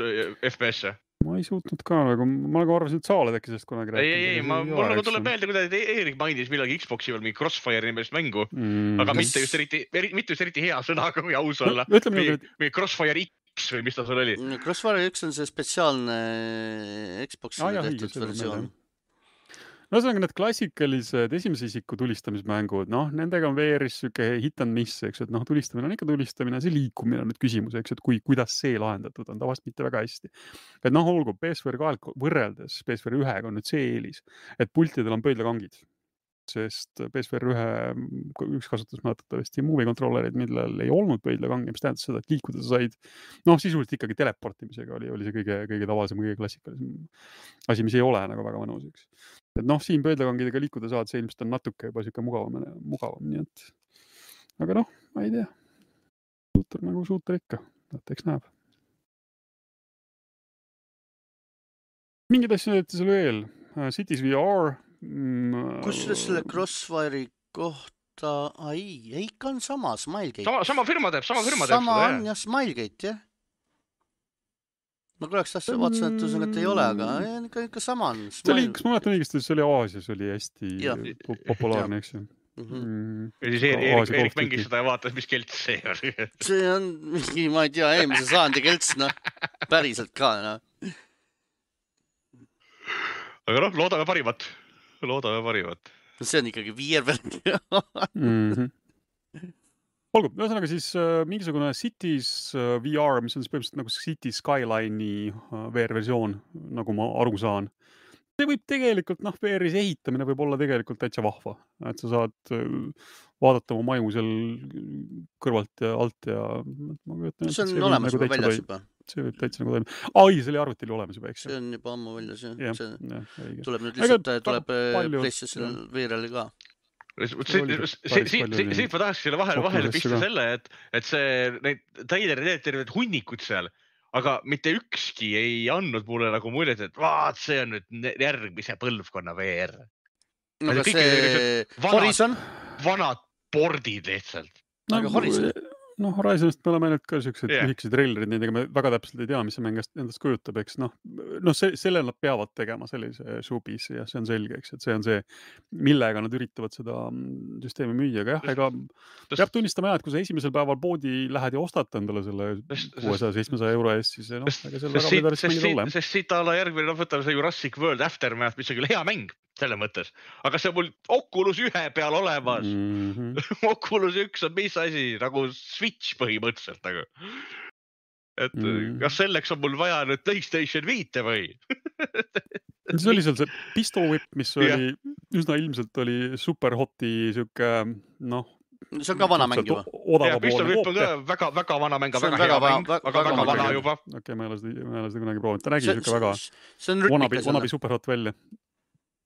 Speaker 3: F P S?
Speaker 2: Ma ei suutnud ka, nagu, ma nagu arvasin, et sa oled äkki sellest kunagi
Speaker 3: rääkinud. Ei, ei, ei, ma, mul nagu tuleb meelde, kuidas Eerik mainis millalgi Xboxi veel mingi Crossfire nimest mängu, mm, aga mitte just eriti, mitte just eriti hea sõnaga, kui aus olla.
Speaker 2: No, ütleme,
Speaker 3: või,
Speaker 2: et...
Speaker 3: või Crossfire X või mis ta sul oli?
Speaker 1: Crossfire X on see spetsiaalne Xboxi ah, tehtud versioon.
Speaker 2: No ühesõnaga need klassikalised esimese isiku tulistamismängud, noh, nendega on V R-is siuke hit and miss, eks, et noh, tulistamine on ikka tulistamine, see liikumine on nüüd küsimus, eks, et kui, kuidas see lahendatud on, tavaliselt mitte väga hästi. Et noh, olgu P S V R kahe võrreldes P S V R ühega on nüüd see eelis, et pultidel on pöidlakangid, sest P S V R ühe üks kasutus mäletatavasti movie controllerid, millel ei olnud pöidlakangi, mis tähendas seda, et liikuda sa said, noh, sisuliselt ikkagi teleportimisega oli, oli see kõige, kõige tavalisem, kõige klassikalisem asi, mis ei ole nagu väga mõnus, eks. Et noh, siin pöidlakangidega liikuda saad, see ilmselt on natuke juba siuke mugavam, mugavam, nii et aga noh, ma ei tea. Suuter nagu suuter ikka, et eks näeb. Mingid asju näidati seal veel. Cities V R.
Speaker 1: Kus selle Crossfire'i kohta, ei, ei ikka on sama, Smilegate.
Speaker 3: Sama, sama firma teeb, sama firma teeb
Speaker 1: sama seda, on jah, Smilegate, jah. Ma korraks tahtsin vaatasin, et usun, et ei ole, aga ikka, ikka sama on.
Speaker 2: See oli, kas ma mäletan õigesti, see oli Aasias, oli hästi ja. populaarne, eks ju.
Speaker 3: Mm-hmm. Ja siis Eerik, Eerik mängis seda ja vaatas, mis kelts see on.
Speaker 1: See on mingi, ma ei tea, eelmise saandi kelts, noh, päriselt ka, noh.
Speaker 3: Aga noh, loodame parimat. Loodame parimat.
Speaker 1: See on ikkagi viier peal.
Speaker 2: Olgu, ühesõnaga siis äh, mingisugune Cities äh, V R, mis on siis põhimõtteliselt nagu City Skyline'i äh, V R-versioon, nagu ma aru saan. See võib tegelikult, noh, V R-is ehitamine võib olla tegelikult täitsa vahva. Et sa saad äh, vaadata oma maju seal kõrvalt ja alt ja... Ma
Speaker 1: ütlen, see on see olemas juba väljas juba.
Speaker 2: See võib täitsa nagu toimub. Ai, see oli arvutil olemas juba, eks.
Speaker 1: See on juba ammu väljas, jah.
Speaker 2: Ja,
Speaker 1: see
Speaker 2: ja,
Speaker 1: tuleb nüüd lihtsalt, tuleb PlayStation V R-li ka.
Speaker 3: Siit ma tahaks selle vahele, vahele pista selle, et, et see, neid traileri teed terved hunnikud seal, aga mitte ükski ei andnud mulle nagu muljet, et vaat, see on nüüd järgmise põlvkonna V R.
Speaker 1: No kas see Horizon?
Speaker 3: Vanad bordid lihtsalt.
Speaker 1: No, aga Horizon?
Speaker 2: No Horizonist me oleme ainult ka siuksed yeah. lühikesed trailerid, nendega me väga täpselt ei tea, mis see mäng endast kujutab, eks noh, no see, selle nad peavad tegema sellise showbiz ja see on selge, eks, et see on see, millega nad üritavad seda süsteemi müüa, aga jah, ega peab tunnistama jah, et kui sa esimesel päeval poodi lähed ja ostad endale selle kuuesaja seitsmesaja euro eest, siis noh, ega seal väga midagi mängid ole.
Speaker 3: Sest siit alla järgmine, noh, võtame see Jurassic World Aftermath, mis on küll hea mäng selle mõttes, aga see on mul Oculus ühe peal olemas. Mm-hmm. Oculus üks on mis asi, nagu Switch põhimõtteliselt nagu. Et mm. kas selleks on mul vaja nüüd PlayStation viite või?
Speaker 2: See oli seal see Pistol Whip, mis oli, ja. üsna ilmselt oli super hoti siuke, noh,
Speaker 1: see on ka vana mäng juba.
Speaker 3: Ja Pistol Whip on ka väga, väga vana mäng, väga hea mäng, aga väga, väga vana juba.
Speaker 2: Okei, okay, ma ei ole seda, ma ei ole seda kunagi proovinud. Ta nägi siuke väga
Speaker 1: see on
Speaker 2: wannabe, wannabe superhot välja.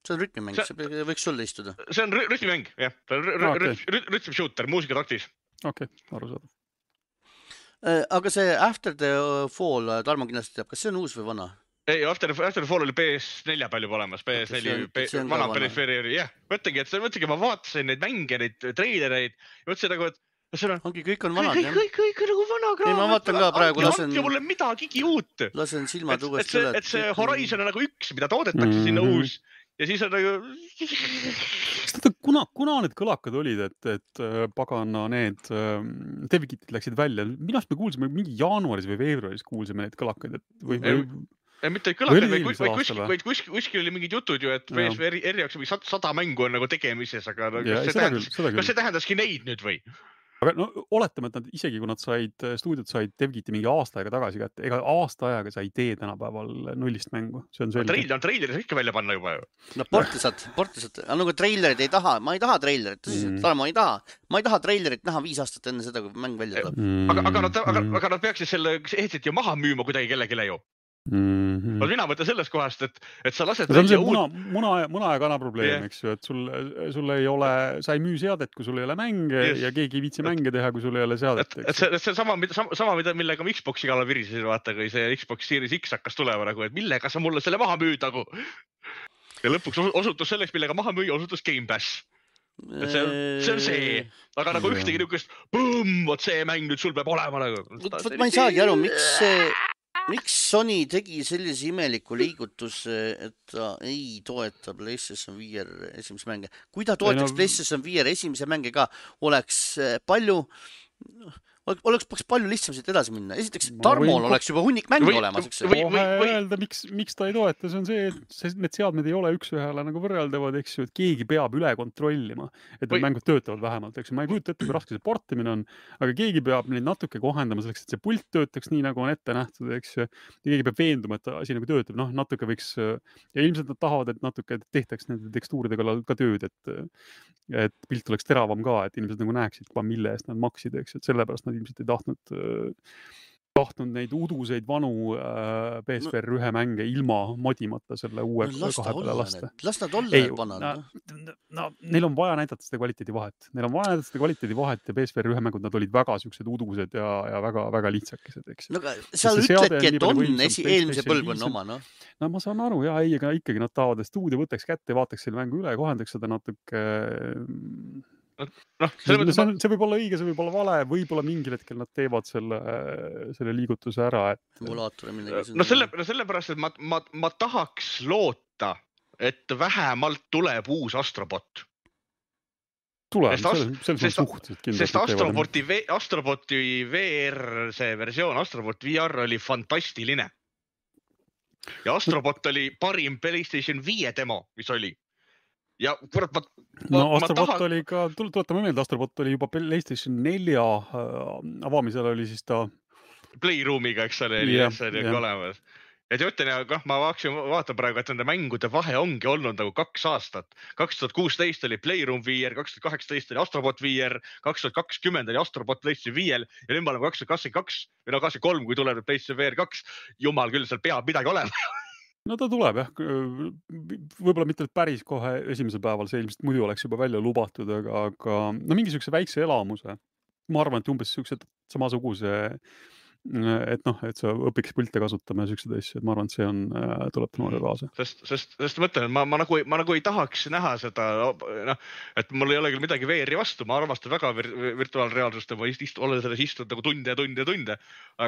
Speaker 1: See on rütmimäng, see võiks sulle istuda.
Speaker 3: See on rütmimäng, jah. Rütm shooter, muusikataktis.
Speaker 2: Okei, aru saada.
Speaker 1: Aga see After the Fall, Tarmo kindlasti teab, kas see on uus või vana?
Speaker 3: Ei, After, After the Fall oli P S neli palju olemas, P S neli, vana perifeeri, jah. Mõtlegi, et mõtlegi, ma vaatasin neid mänge, neid treilereid ja mõtlesin nagu, et see on...
Speaker 1: Ongi, kõik on vanad, jah.
Speaker 3: Kõik, kõik on nagu vana kraam.
Speaker 1: Ei, ma vaatan ka praegu, lasen...
Speaker 3: Andke mulle midagigi uut.
Speaker 1: Lasen silmad uuesti üle.
Speaker 3: Et see Horizon on nagu üks, mida toodetakse sinna uus. Ja siis on nagu...
Speaker 2: Kuna, kuna need kõlakad olid, et, et pagana need Devikitid läksid välja? Minast me kuulsime mingi jaanuaris või veebruaris kuulsime neid kõlakaid, et või... või...
Speaker 3: Ei, mitte kõlakad, vaid kuskil oli mingid jutud ju, et P S V R jaoks mingi sada mängu on nagu tegemises, aga kas see, tähendas, kas see tähendaski neid nüüd või?
Speaker 2: Aga no oletame, et nad isegi kui nad said, stuudiod said Devgiti mingi aasta aega tagasi kätte, ega aasta ajaga sa ei tee tänapäeval nullist mängu. See on selge.
Speaker 3: Treilid on treileris ikka välja panna juba ju.
Speaker 1: No portisad, portisad. Aga nagu treilerid ei taha, ma ei taha treilerit, tõsiselt, mm. ma ei taha. Ma ei taha treilerit näha viis aastat enne seda, kui mäng välja tuleb.
Speaker 3: Mm. Aga, aga, nad, aga, aga nad peaksid selle ehtsit ju maha müüma kuidagi kellegile ju. Mm-hmm. Mina mõtlen sellest kohast, et, et sa lased...
Speaker 2: See on see muna, muna, muna ja kana probleem, yeah. Eks ju, et sul, sul ei ole, sa ei müü seadet, kui sul ei ole mänge yes. Ja keegi ei viitsi mänge teha, kui sul ei ole seadet.
Speaker 3: Et, et see, see sama, sama, millega ma Xboxi kallal virisesin, vaata, kui see Xbox Series X hakkas tulema, nagu, et millega sa mulle selle maha müüd, nagu. Ja lõpuks osutus selleks, millega maha müüa, osutus Game Pass. Et see, see on see, aga nagu ühtegi niukest, põmm, vot see mäng nüüd sul peab olema nagu.
Speaker 1: Võt, ma ei saagi aru, miks see... Miks Sony tegi sellise imeliku liigutuse, et ta ei toeta PlayStation V R esimese mänge? Kui ta toetaks PlayStation V R esimese mänge ka, oleks palju... Oleks palju lihtsam siit edasi minna. Esiteks, Tarmol oleks juba hunnik mänge olemas.
Speaker 2: Või, või, või öelda, miks, miks ta ei toeta, see on see, et need seadmed ei ole üks ühele nagu võrreldavad, eks ju, et keegi peab üle kontrollima, et need mängud töötavad vähemalt, eks ju. Ma ei kujuta ette, kui raske see portimine on, aga keegi peab neid natuke kohendama selleks, et see pult töötaks nii, nagu on ette nähtud, eks ju. Ja keegi peab veenduma, et asi nagu töötab. Noh, natuke võiks, ja ilmselt nad tahavad, et natuke tehtaks nende tekstuuride kallal ka tööd, et, et pilt oleks teravam ka, et inimesed nagu näeksid, mille eest nad maksid, eks ju, et sellepärast nad ilmselt ei tahtnud, tahtnud neid uduseid vanu äh, P S V R ühe mänge ilma modimata selle uue no, kahe peale lasta.
Speaker 1: Las nad olla ei, panna.
Speaker 2: No, no, neil on vaja näidata seda kvaliteedi vahet. Neil on vaja näidata seda kvaliteedi vahet ja P S V R ühe mängud, nad olid väga siuksed udused ja, ja väga, väga lihtsakesed, eks.
Speaker 1: No aga sa ütledki, et on esi, eelmise põlvkonna oma, noh.
Speaker 2: No ma saan aru, jah, ei, aga ikkagi nad tahavad, et stuudio võtaks kätte, vaataks selle mängu üle, kohendaks seda natuke... No, see, see, see võib olla õige, see võib olla vale, võib-olla mingil hetkel nad teevad selle, selle liigutuse ära. Et...
Speaker 3: No, selle, no sellepärast, et ma, ma, ma tahaks loota, et vähemalt tuleb uus Astrobot.
Speaker 2: Tuleb, selles on suhteliselt kindlasti.
Speaker 3: Sest Astroboti, v, Astroboti V R, see versioon, Astrobot V R oli fantastiline. Ja Astrobot oli parim PlayStation viie demo, mis oli. Ja kurat, ma,
Speaker 2: no ma Astrobot tahan... oli ka, tuletame meelde, Astrobot oli juba PlayStation nelja äh, avamisel oli siis ta...
Speaker 3: Playroomiga, eks ole, oli see olemas. Ja te ütlen, ja ma vaatan praegu, et nende mängude vahe ongi olnud nagu kaks aastat. kaks tuhat kuusteist oli Playroom V R, kaks tuhat kaheksateist oli Astrobot V R, kaks tuhat kakskümmend oli Astrobot PlayStation viiel ja nüüd ma olen kaks tuhat kakskümmend kaks või no kakskümmend kolm, kui tuleb PlayStation V R kaks. Jumal küll, seal peab midagi olema.
Speaker 2: No ta tuleb, jah. Võib-olla mitte päris kohe esimesel päeval, see ilmselt muidu oleks juba välja lubatud, aga, aga no mingi sükse väikse elamuse. Ma arvan, et umbes sükse samasuguse et noh, et sa õpiks pilte kasutama ja sükseid asju, et ma arvan, et see on, tuleb noore kaasa.
Speaker 3: Sest, sest, sest mõtlen, ma, ma, nagu, ma nagu ei tahaks näha seda, noh, et mul ei ole küll midagi V R-i vastu, ma armastan väga vir, virtuaalreaalsust ja ma ist, olen selles istunud nagu tunde ja tunde ja tunde,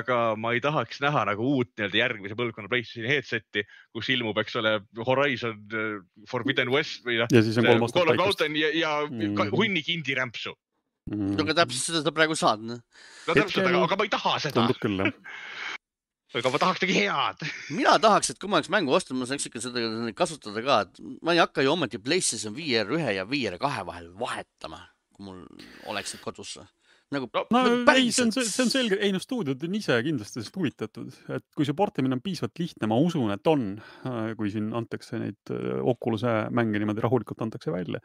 Speaker 3: aga ma ei tahaks näha nagu uut nii-öelda järgmise põlvkonna PlayStationi headseti, kus ilmub, eks ole, Horizon, Forbidden West või
Speaker 2: ja siis on kolm aastat
Speaker 3: paikast. Ja, ja mm. hunnik indie rämpsu.
Speaker 1: Mm. Aga täpselt seda ta praegu saad. No,
Speaker 3: no täpselt, aga, aga ma ei taha seda.
Speaker 2: Tundub küll, jah.
Speaker 3: Aga ma tahaks tegi head.
Speaker 1: Mina tahaks, et kui ma oleks mängu ostnud, ma saaks ikka seda kasutada ka. Ma ei hakka ju ometi PlayStation V R ühe ja V R kahe vahel vahetama, kui mul oleks need kodus. nagu,
Speaker 2: no
Speaker 1: nagu
Speaker 2: ei, see on, see on selge, ei no stuudiod on ise kindlasti sellest huvitatud, et kui see portimine on piisavalt lihtne, ma usun, et on, kui siin antakse neid Oculus'e mänge niimoodi rahulikult antakse välja.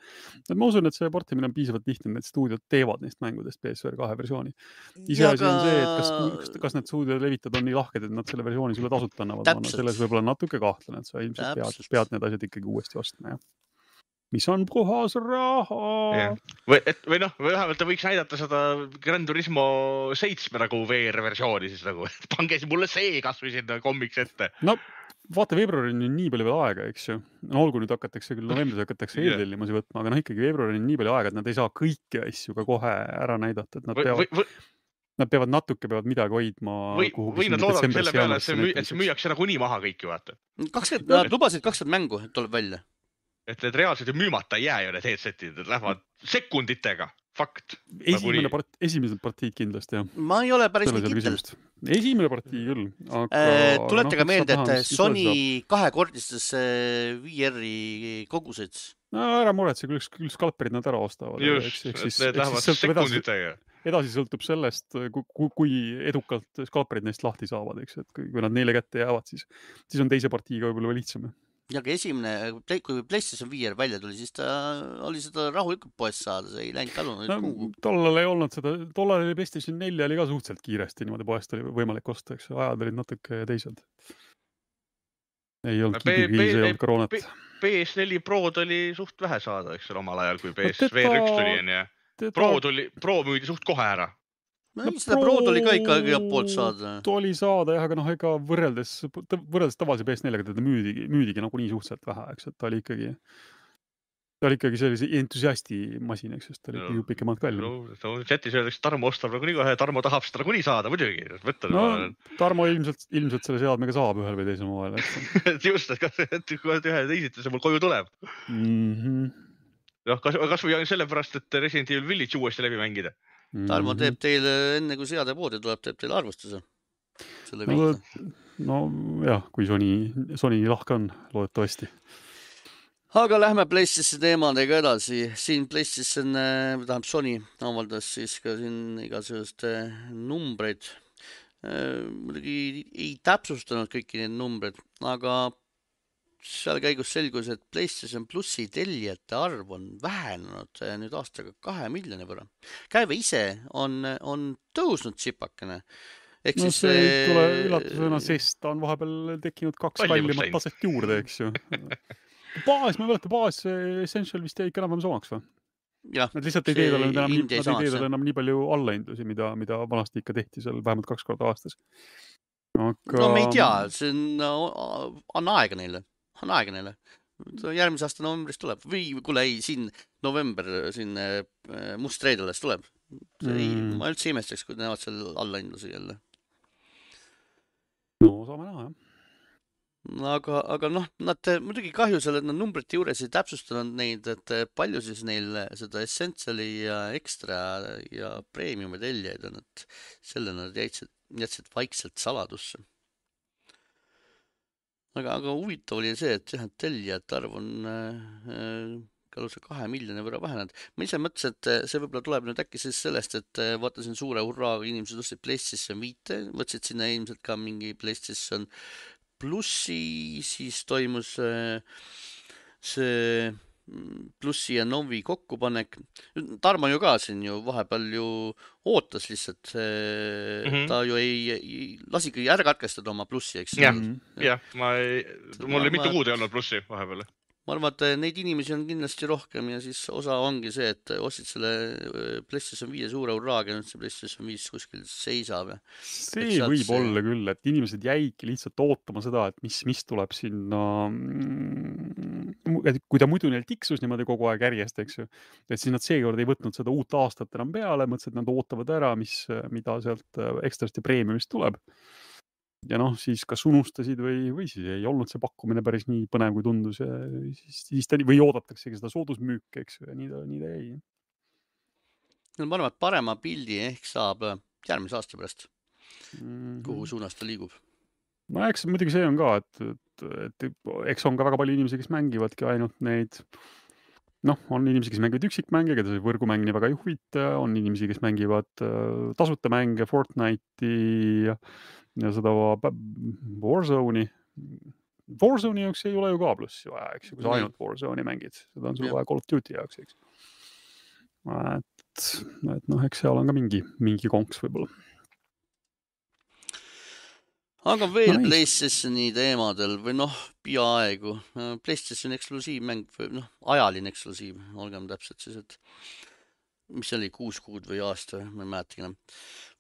Speaker 2: Et ma usun, et see portimine on piisavalt lihtne, et stuudiod teevad neist mängudest P S V R kahe versiooni. Iseasi on see, et kas, kas, kas need stuudiod levitad on nii lahked, et nad selle versiooni sulle tasuta annavad. Ma selles võib-olla natuke kahtlen, et sa ilmselt pead, pead need asjad ikkagi uuesti ostma, jah. Mis on puhas raha.
Speaker 3: Yeah. Või, et, või noh, või vähemalt ta võiks näidata seda Gran Turismo seitsme nagu V R-versiooni siis nagu, et pange mulle see kas või sinna kommiks ette.
Speaker 2: No vaata, veebruarini on nii palju veel aega, eks ju. No olgu nüüd hakatakse küll novembris hakatakse yeah. eeltellimusi võtma, aga noh ikkagi veebruarini on nii palju aega, et nad ei saa kõiki asju ka kohe ära näidata, et nad
Speaker 3: või,
Speaker 2: peavad,
Speaker 3: või, või,
Speaker 2: nad peavad natuke peavad midagi hoidma.
Speaker 3: Või, või nad loodavad selle peale, et see, müü, et see müüakse nagu nii maha kõiki, vaata.
Speaker 1: kakskümmend, nad lubasid kakskümmend mängu, et tuleb välja.
Speaker 3: Et need reaalselt ju müümata ei jää ju need headsetid, et lähevad sekunditega, fakt.
Speaker 2: Esimene nagu part, esimesed partiid kindlasti, jah.
Speaker 1: Ma ei ole päris nii kindel.
Speaker 2: Esimene partii küll. Aga,
Speaker 1: Tuletage no, meelde, et Sony kahekordistas V R-i koguseid.
Speaker 2: No ära muretse, küll, küll skalperid nad ära ostavad.
Speaker 3: Just, eks, eks, et need lähevad sekunditega.
Speaker 2: Edasi, edasi sõltub sellest, kui, kui edukalt skalperid neist lahti saavad, eks, et kui nad neile kätte jäävad, siis, siis on teise partiiga võib-olla lihtsam.
Speaker 1: Ja ka esimene, kui PlayStation V R välja tuli, siis ta oli seda rahulikult poest saada, see ei läinud talunud
Speaker 2: no, kuhu. Tollal ei olnud seda, tollal oli PlayStation neli oli ka suhteliselt kiiresti niimoodi poest oli võimalik osta, eks ajad olid natuke teised. Ei olnud kiidikriis, ei olnud koroonat.
Speaker 3: P S neli Prod oli suht vähe saada, eks ole, omal ajal, kui P S V R üks tuli, on ja Pro, tuli, Pro müüdi suht kohe ära.
Speaker 1: No, no seda Prod oli ka ikka igalt poolt saada.
Speaker 2: Oli saada, jah, aga noh, ega võrreldes, võrreldes tavalise P S neljega teda müüdigi, müüdigi nagu nii suhteliselt vähe, eks, et ta oli ikkagi, ta oli ikkagi sellise entusiasti masin, eks, ta oli no, ju pikemalt kallim.
Speaker 3: No, chatis öeldaks, Tarmo ostab nagu nii kohe, Tarmo tahab seda nagu nii saada, muidugi. Võtta,
Speaker 2: no, ma... Tarmo ilmselt, ilmselt selle seadmega saab ühel või teisel moel,
Speaker 3: eks. Just, et kas ühe teisiti see mul koju tuleb.
Speaker 2: Mhm.
Speaker 3: No, kas, kas või sellepärast, et Resident Evil Village uuesti läbi mängida.
Speaker 1: Tarmo teeb teile, enne kui seade poodi tuleb, teeb teile arvustuse. Selle
Speaker 2: no, no jah, kui Sony, Sony lahke on, loodetavasti.
Speaker 1: Aga lähme PlayStation teemadega edasi. Siin PlayStation, tähendab Sony avaldas siis ka siin igasugust numbreid. Muidugi ei täpsustanud kõiki neid numbreid, aga seal käigus selgus, et PlayStation Plussi tellijate arv on vähenenud nüüd aastaga kahe miljoni võrra. Käive ise on, on tõusnud tsipakene. Ehk
Speaker 2: no
Speaker 1: siis
Speaker 2: see ei tule üllatusena, sest ta on vahepeal tekkinud kaks kallimat taset juurde, eks ju. Baas, ma võleta, baas Essential vist jäi ikka enam samaks või?
Speaker 1: Jah,
Speaker 2: nad lihtsalt ei tee talle enam, nii, nad ei tee talle enam nii palju allahindusi, mida, mida vanasti ikka tehti seal vähemalt kaks korda aastas. Aga...
Speaker 1: No me ei tea, see on, on aega neile. On aega neile. Järgmise aasta novembris tuleb. Või kuule ei, siin november siin must reed alles tuleb. Ei, mm. Ma üldse imestaks, kui näevad seal allahindusi jälle.
Speaker 2: No saame näha, jah.
Speaker 1: Aga, aga noh, nad muidugi kahju seal, et nad numbrite juures ei täpsustanud neid, et palju siis neil seda Essentiali ja Extra ja Premiumi teljaid on, et selle nad jätsid, jätsid vaikselt saladusse. Aga, aga huvitav oli see, et jah, tellijate arv on äh, kalusse kahe miljoni võrra vähenenud. Ma ise mõtlesin, et see võib-olla tuleb nüüd äkki siis sellest, et vaatasin suure hurraaga inimesed ostsid PlayStation viite, võtsid sinna ilmselt ka mingi PlayStation Plussi, siis toimus äh, see Plussi ja Novi kokkupanek. Tarmo ju ka siin ju vahepeal ju ootas lihtsalt. Mm-hmm. Ta ju ei, ei lasigi ära katkestada oma Plussi, eks?
Speaker 3: Jah, ja, ma ei, mul oli mitu kuud ei olnud Plussi vahepeal.
Speaker 1: Ma arvan, et neid inimesi on kindlasti rohkem ja siis osa ongi see, et ostsid selle PlayStation viie suure hurraaga ja nüüd see PlayStation viis kuskil seisab.
Speaker 2: See võib see... olla küll, et inimesed jäidki lihtsalt ootama seda, et mis, mis tuleb sinna, kui ta muidu neil tiksus niimoodi kogu aeg järjest, eks ju, et siis nad seekord ei võtnud seda uut aastat enam peale, mõtlesid, et nad ootavad ära, mis, mida sealt ekstrast ja preemiumist tuleb. Ja noh, siis kas unustasid või, või siis ei olnud see pakkumine päris nii põnev, kui tundus ja siis, siis ta, või oodataksegi seda soodusmüüki, eks ju, ja nii ta, nii ta jäi.
Speaker 1: No ma arvan, et parema pildi ehk saab järgmise aasta pärast, mm-hmm. kuhu suunas ta liigub.
Speaker 2: No eks muidugi see on ka, et, et, et eks on ka väga palju inimesi, kes mängivadki ainult neid, noh, on inimesi, kes mängivad üksikmänge, keda see võrgumäng nii väga ei huvita, on inimesi, kes mängivad äh, tasuta mänge, Fortnite'i ja, ja seda Warzone'i. Warzone'i jaoks ei ole ju ka plussi vaja, eks ju, kui sa ainult Warzone'i mängid. Seda on sul vaja Call of Duty jaoks, eks. Et, et noh, eks seal on ka mingi, mingi konks võib-olla.
Speaker 1: Aga veel no, PlayStationi teemadel või noh, peaaegu. PlayStation eksklusiivmäng või noh, ajaline eksklusiiv, olgem täpselt siis, et mis oli kuus kuud või aasta, ma ei mäletagi enam.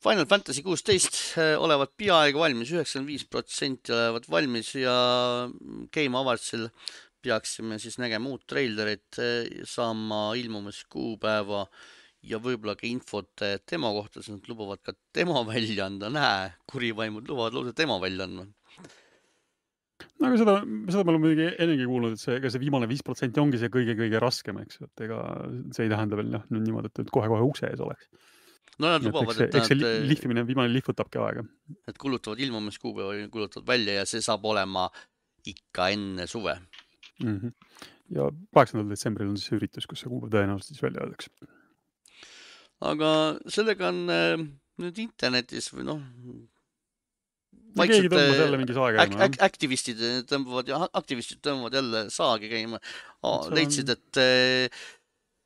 Speaker 1: Final Fantasy kuusteist olevat peaaegu valmis, üheksakümmend viis protsenti olevat valmis ja Game Awardsil peaksime siis nägema uut trailerit, saama ilmumis kuupäeva ja võib-olla ka infot demo kohta, sest nad lubavad ka demo välja anda. Näe, kurivaimud lubavad lausa demo välja anda.
Speaker 2: No aga seda, seda me oleme muidugi ennegi kuulnud, et see, ega see viimane viis protsenti ongi see kõige-kõige raskem, eks. Et ega see ei tähenda veel noh, niimoodi, et kohe-kohe ukse ees oleks.
Speaker 1: No nad lubavad,
Speaker 2: et, et, eks see nad, lihvimine, viimane lihvutabki aega.
Speaker 1: Et kulutavad ilmumis kuupäeva, kulutavad välja ja see saab olema ikka enne suve.
Speaker 2: Mm-hmm. Ja kaheksandal detsembril on siis üritus, kus see kuupäev tõenäoliselt siis välja öeldakse.
Speaker 1: Aga sellega on äh, nüüd internetis või noh,
Speaker 2: keegi tõmbas jälle mingi saagi käima.
Speaker 1: Ak aktivistid tõmbavad ja aktivistid tõmbavad jälle saagi käima. Oh, leidsid, et äh,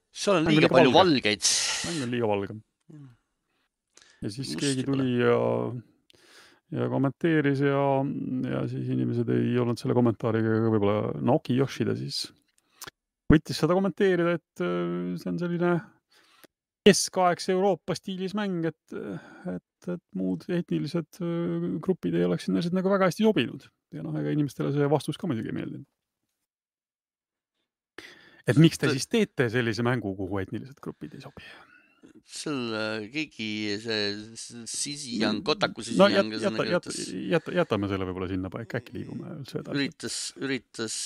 Speaker 1: seal on liiga palju valge. valgeid.
Speaker 2: Mäng on liiga valge. Ja siis Musti keegi tuli ja, ja kommenteeris ja, ja siis inimesed ei olnud selle kommentaariga võib-olla Naoki Yoshida siis võttis seda kommenteerida, et see on selline keskaegse Euroopa stiilis mäng, et, et, et muud etnilised grupid ei oleks sinna nagu väga hästi sobinud. Ja noh, ega inimestele see vastus ka muidugi ei meeldinud. Et miks te siis teete sellise mängu, kuhu etnilised grupid ei sobi?
Speaker 1: Seal keegi see Sisijang, Kotaku
Speaker 2: no, Sisijang jäta, jäta, jäta, jätame selle võib-olla sinna paika, äkki liigume üldse edasi.
Speaker 1: Üritas, üritas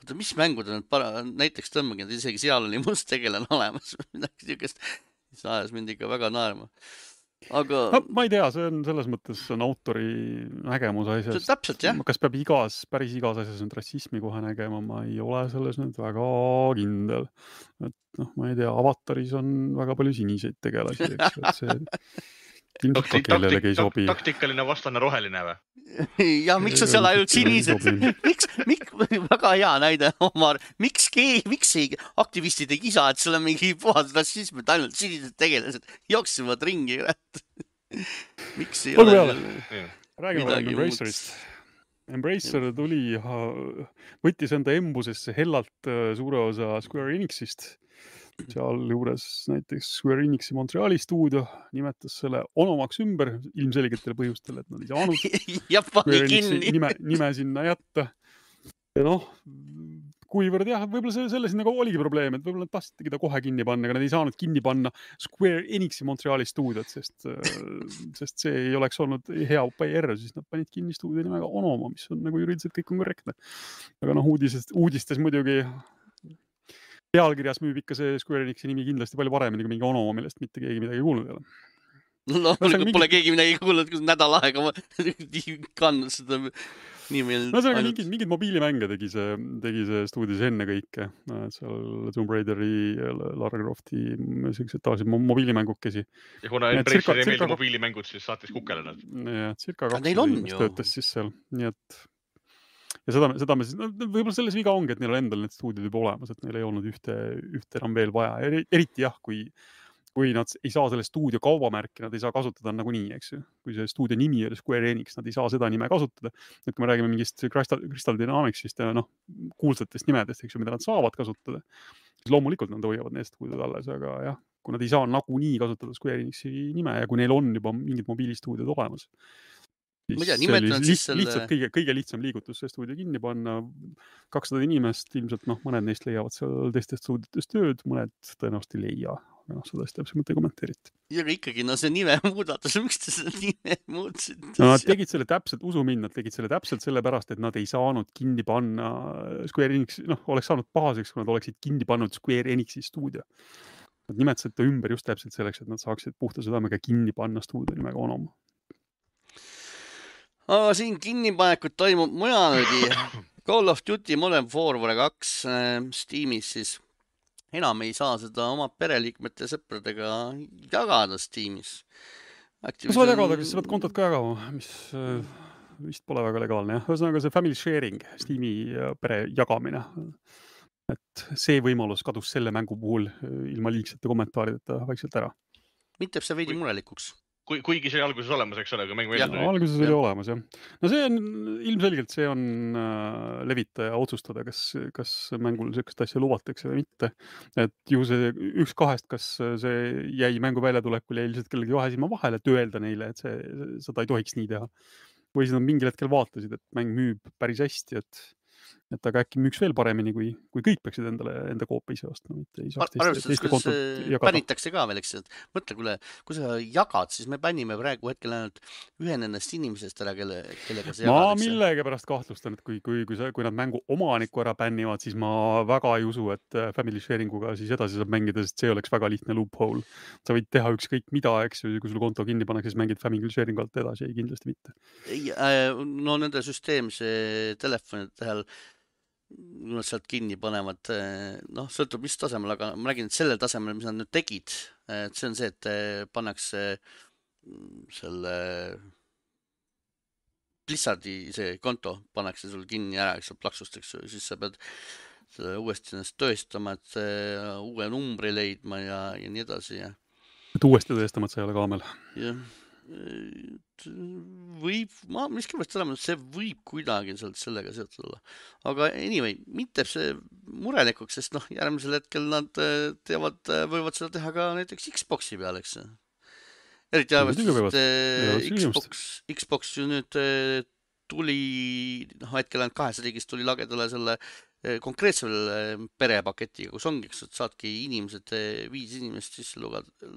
Speaker 1: oota, mis mängud on para... näiteks tõmmagi, et isegi seal oli must tegelane olemas midagi niisugust, mis ajas mind ikka väga naerma. Aga
Speaker 2: no, ma ei tea, see on selles mõttes on autori nägemus asjast.
Speaker 1: Täpselt, jah.
Speaker 2: Kas peab igas, päris igas asjas nüüd rassismi kohe nägema, ma ei ole selles nüüd väga kindel. Et noh, ma ei tea, Avataris on väga palju siniseid tegelasi, eks, et see ilmselt ka kellelegi ei sobi.
Speaker 3: Taktikaline vastane roheline või?
Speaker 1: Ja miks on seal ainult sinised? Miks, miks, väga hea näide, Omar. Miks, keegi, miks ei aktivistid ei kisa, et seal on mingi puhas rassism, et ainult sinised tegelased jooksevad ringi. Miks ei
Speaker 2: ole? Räägime Embracerist. Embracer tuli, võttis enda embusesse hellalt suure osa Square Enixist. Seal juures näiteks Square Enixi Montreali stuudio nimetas selle onomaks ümber ilmselgetel põhjustel, et nad ei saanud Square Enixi nime, nime sinna jätta. Ja noh, kuivõrd jah, võib-olla selle, selle sinna oligi probleem, et võib-olla nad tahtsidki ta kohe kinni panna, aga nad ei saanud kinni panna Square Enixi Montreali stuudiot, sest, sest see ei oleks olnud hea P R, siis nad panid kinni stuudio nimega Onoma, mis on nagu juriidiliselt kõik on korrektne. Aga noh, uudistes, uudistes muidugi pealkirjas müüb ikka see Square Enixi nimi kindlasti palju paremini kui mingi Onoma, millest mitte keegi midagi kuulnud ei ole.
Speaker 1: No, no mingi... pole keegi midagi kuulnud, kus nädal aega ma kandnud seda nimi.
Speaker 2: No see on mingid, mingid mobiilimänge tegi see, tegi see stuudios enne kõike. Seal Tomb Raideri, Lara Crofti, sellised tavalised mobiilimängukesi.
Speaker 3: Ja kuna Embracer ei meeldi mobiilimängud, siis saatis kukele nad.
Speaker 2: Ja, circa kakssada inimest töötas siis seal. Nii et ja seda, seda me siis, no, võib-olla selles viga ongi, et neil on endal need stuudiod juba olemas, et neil ei olnud ühte, ühte enam veel vaja. Eriti jah, kui, kui nad ei saa selle stuudio kaubamärki, nad ei saa kasutada nagu nii, eks ju. Kui see stuudio nimi oli Square Enix, nad ei saa seda nime kasutada. Et kui me räägime mingist Crystal, Crystal Dynamicsist ja noh, kuulsatest nimedest, eks ju, mida nad saavad kasutada, siis loomulikult nad hoiavad need stuudiod alles, aga jah, kui nad ei saa nagu nii kasutada Square Enixi nime ja kui neil on juba mingid mobiilistuudiod olemas,
Speaker 1: ma tea, nimetanud siis selle...
Speaker 2: Lihtsalt kõige, kõige lihtsam liigutus see stuudio kinni panna. kakssada inimest, ilmselt noh, mõned neist leiavad seal teistest stuuditest tööd, mõned tõenäoliselt ei leia. Aga noh, seda täpselt mõte kommenteeriti.
Speaker 1: Ja ikkagi, no see nime muudatus, miks te seda nime muutsid?
Speaker 2: No, nad tegid selle täpselt, usu mind, nad tegid selle täpselt sellepärast, et nad ei saanud kinni panna Square Enix, noh, oleks saanud pahaseks, kui nad oleksid kinni pannud Square Enixi stuudio. Nad nimetasid ta ümber just täpselt selleks, et nad saaksid puhta südamega kinni panna stuudio nimega Onoma.
Speaker 1: Aga siin kinnipanekut toimub mujalegi. Call of Duty Modern Warfare kaks Steamis siis enam ei saa seda oma pereliikmete ja sõpradega jagada Steamis.
Speaker 2: Kas sa jagada, kas sa pead kontot ka jagama, mis vist pole väga legaalne. jah. Ühesõnaga see family sharing, Steam'i pere jagamine. Et see võimalus kadus selle mängu puhul ilma liigsete kommentaarideta vaikselt ära.
Speaker 1: Mind teeb see veidi murelikuks.
Speaker 3: Kui, kuigi see oli alguses olemas, eks ole, kui mäng välja tuli.
Speaker 2: Alguses oli olemas, jah. No see on, ilmselgelt see on äh, levitaja otsustada, kas, kas mängul sellist asja luvatakse või mitte. Et ju see üks kahest, kas see jäi mängu väljatulekul ja ilmselt kellegi vahe silma vahele, et öelda neile, et see, seda ei tohiks nii teha. Või siis nad mingil hetkel vaatasid, et mäng müüb päris hästi, et et aga äkki müüks veel paremini, kui, kui kõik peaksid endale enda koopa ise ostma.
Speaker 1: Arvestades, kuidas pänitakse ka veel, eks, et mõtle, kui, kui sa jagad, siis me pännime praegu hetkel ainult ühen ennast inimesest ära, kelle, kellega sa jagad.
Speaker 2: Ma millegi pärast kahtlustan, et kui, kui, kui, sa, kui nad mängu omaniku ära bännivad, siis ma väga ei usu, et family sharinguga siis edasi saab mängida, sest see oleks väga lihtne loophole. Sa võid teha ükskõik mida, eks, kui sul konto kinni pannakse, siis mängid family sharingu alt edasi, ei kindlasti mitte.
Speaker 1: Ei, no nende süsteemse telefonide tähel kui nad sealt kinni panevad, noh, sõltub mis tasemel, aga ma räägin, et sellel tasemel, mis nad nüüd tegid, et see on see, et pannakse selle Blizzardi see konto, pannakse sul kinni ära, eks sa plaksustaks, siis sa pead selle uuesti ennast tõestama, et uue numbri leidma ja, ja nii edasi. Ja.
Speaker 2: Et uuesti tõestama, et sa ei ole kaamel.
Speaker 1: Jah. Võib, ma miskivõrst olema, see võib kuidagi sealt sellega seotud olla. Aga anyway, mind teeb see murelikuks, sest noh, järgmisel hetkel nad teevad, võivad seda teha ka näiteks Xboxi peal, eks. Eriti arvestades, et Xbox, Xbox ju nüüd tuli, noh, hetkel ainult kahes riigis tuli lagedale selle konkreetsel perepaketiga, kus ongi, eks, et saadki inimesed, viis inimest sisse lugada,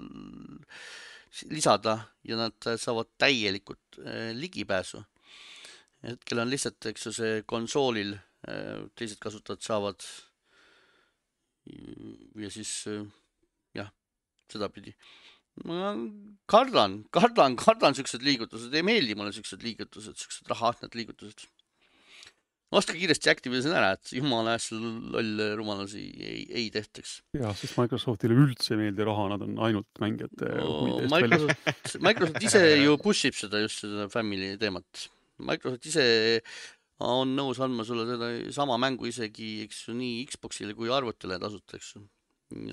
Speaker 1: lisada ja nad saavad täielikult ligipääsu. Hetkel on lihtsalt, eks see konsoolil teised kasutajad saavad ja siis jah, seda pidi. Ma kardan, kardan, kardan süksed liigutused, ei meeldi mulle süksed liigutused, süksed rahaatned liigutused. Ostke kiiresti Activision ära, et jumala äsja loll rumalusi ei, ei tehtaks.
Speaker 2: Ja, sest Microsoftile üldse meeldi raha, nad on ainult mängijate
Speaker 1: no, Microsoft, Microsoft ise ju pushib seda just seda family teemat. Microsoft ise on nõus andma sulle seda sama mängu isegi, eks ju, nii Xboxile kui arvutile tasuta, eks ju.